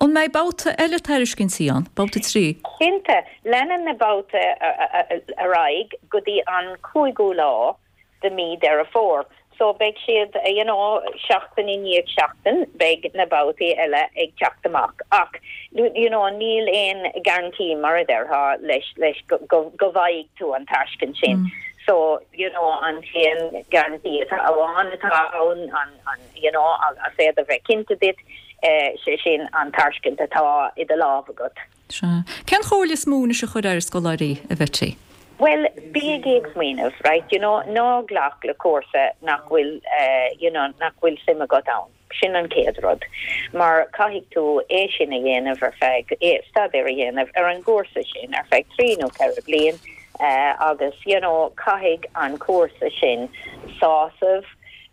An mbeidh babhta eile tairiscintí ann, babhta trí? Cinnte leanann na babhtaí ar aghaidh go dtí an cúigiú lá de mí Deireadh Fómhair. So beidh siad you know, seachtain i ndiaidh seachtain beidh na babhtaí eile ag teacht amach. Ach you know, níl aon guarantee mar a déarfá leis leis go, go, go bhfaighidh tú an tairiscint sin. Mm. So you know, an t-aon guarantee atá amháin atá ann an, an you know, a féidir bheith cinnte duit eh, sé sin an tairiscint atá i do lámh agat. Sea. Cén chomhairle is mó anois a chur ar scoláirí a Bhetty? Well, bígí ag smaoineamh, right? You know, ná glac le cúrsa nach bhfuil uh, you know, nach bhfuil suim agat ann. Sin an chéad rud. Mar caithfidh tú é sin a dhéanamh ar feadh é staidéar a dhéanamh ar an gcúrsa sin ar feadh trí nó ceithre bliain uh, agus you know, caithfidh an cúrsa sin sásamh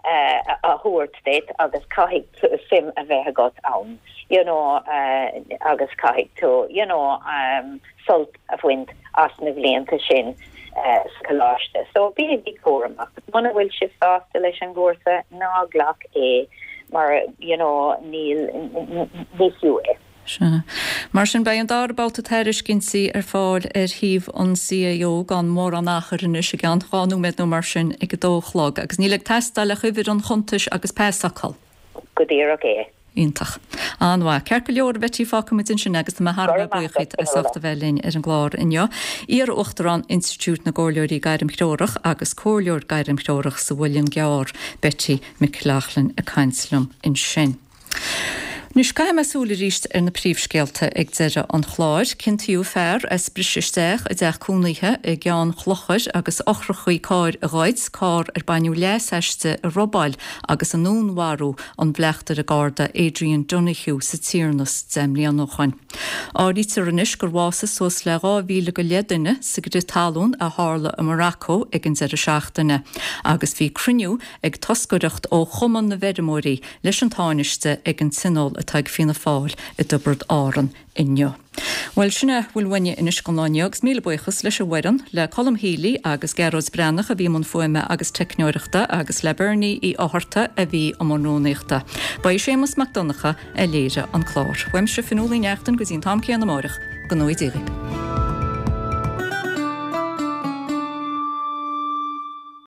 uh, a thabhairt duit agus caithfidh suim a bheith agat ann. You know, uh, agus caithfidh tú you know, um, sult a bhaint as na blianta sin uh, sa choláiste. So bígí cúramach. Muna bhfuil sibh sásta leis an gcúrsa ná glac é mar you know, níl ní fiú é. Sea. Mar sin beidh an dara babhta tairiscintí ar fáil ar shuíomh an CAO gan mórán achair anois i gceann dhá nóiméad nó mar sin ag a dó a chlog, agus níl ag teastáil ach uimhir an chuntais agus pasfhocal. Go díreach é. Iontach. An-mhaith. Ceart go leor Betty fágfaimid ansin agus tá mé thar a bheith buíoch díot as ucht a bheith linn ar an gclár inniu. Iar-Uachtarán Institiúid na gComhairleoirí Gairmthreorach agus Comhairleoir Gairmthreorach sa Mhuileann gCearr Betty McLaughlin ag caint liom ansin. Anois caithfidh mé súil arís ar na príomhscéalta ag deireadh an chláir, Ciontaíodh fear as briseadh isteach i dteach cónaithe i gCeann Chlochair agus eochracha cairr a ghoid, carr ar baineadh leas aisti a robáil agus a ndúnmharú an bleachtaire Garda Adrian Donoghue sa Tiarnas deich mbliana ó shin. Áirítear anois gur bhásaigh suas le dhá mhíle go leith duine sa gcrith talún a tharla i Morocco ag an deireadh seachtaine, agus bhí cruinniú ag toscaireacht ó Chumann na bhFeirmeoirí leis an Tánaiste ag an Tionól atá ag Fianna Fáil i dTiobraid Árann inniu. Bhuel sin a bhfuil uainne anois don lá inniu agus míle buíochas leis an bhfoireann, le Colm Healy agus Gearóid Breathnach a bhí i mbun fuaime agus teicneoireachta agus le Bernie Uí Fhátharta a bhí i mbun rúnaíochta. Ba é Séamus Mac Donncha a léirigh an clár. Uaimse Fionnuala Ní Neachtain go dtí an t-am céanna amáireach, go ngnóthaí Dia dhaoibh.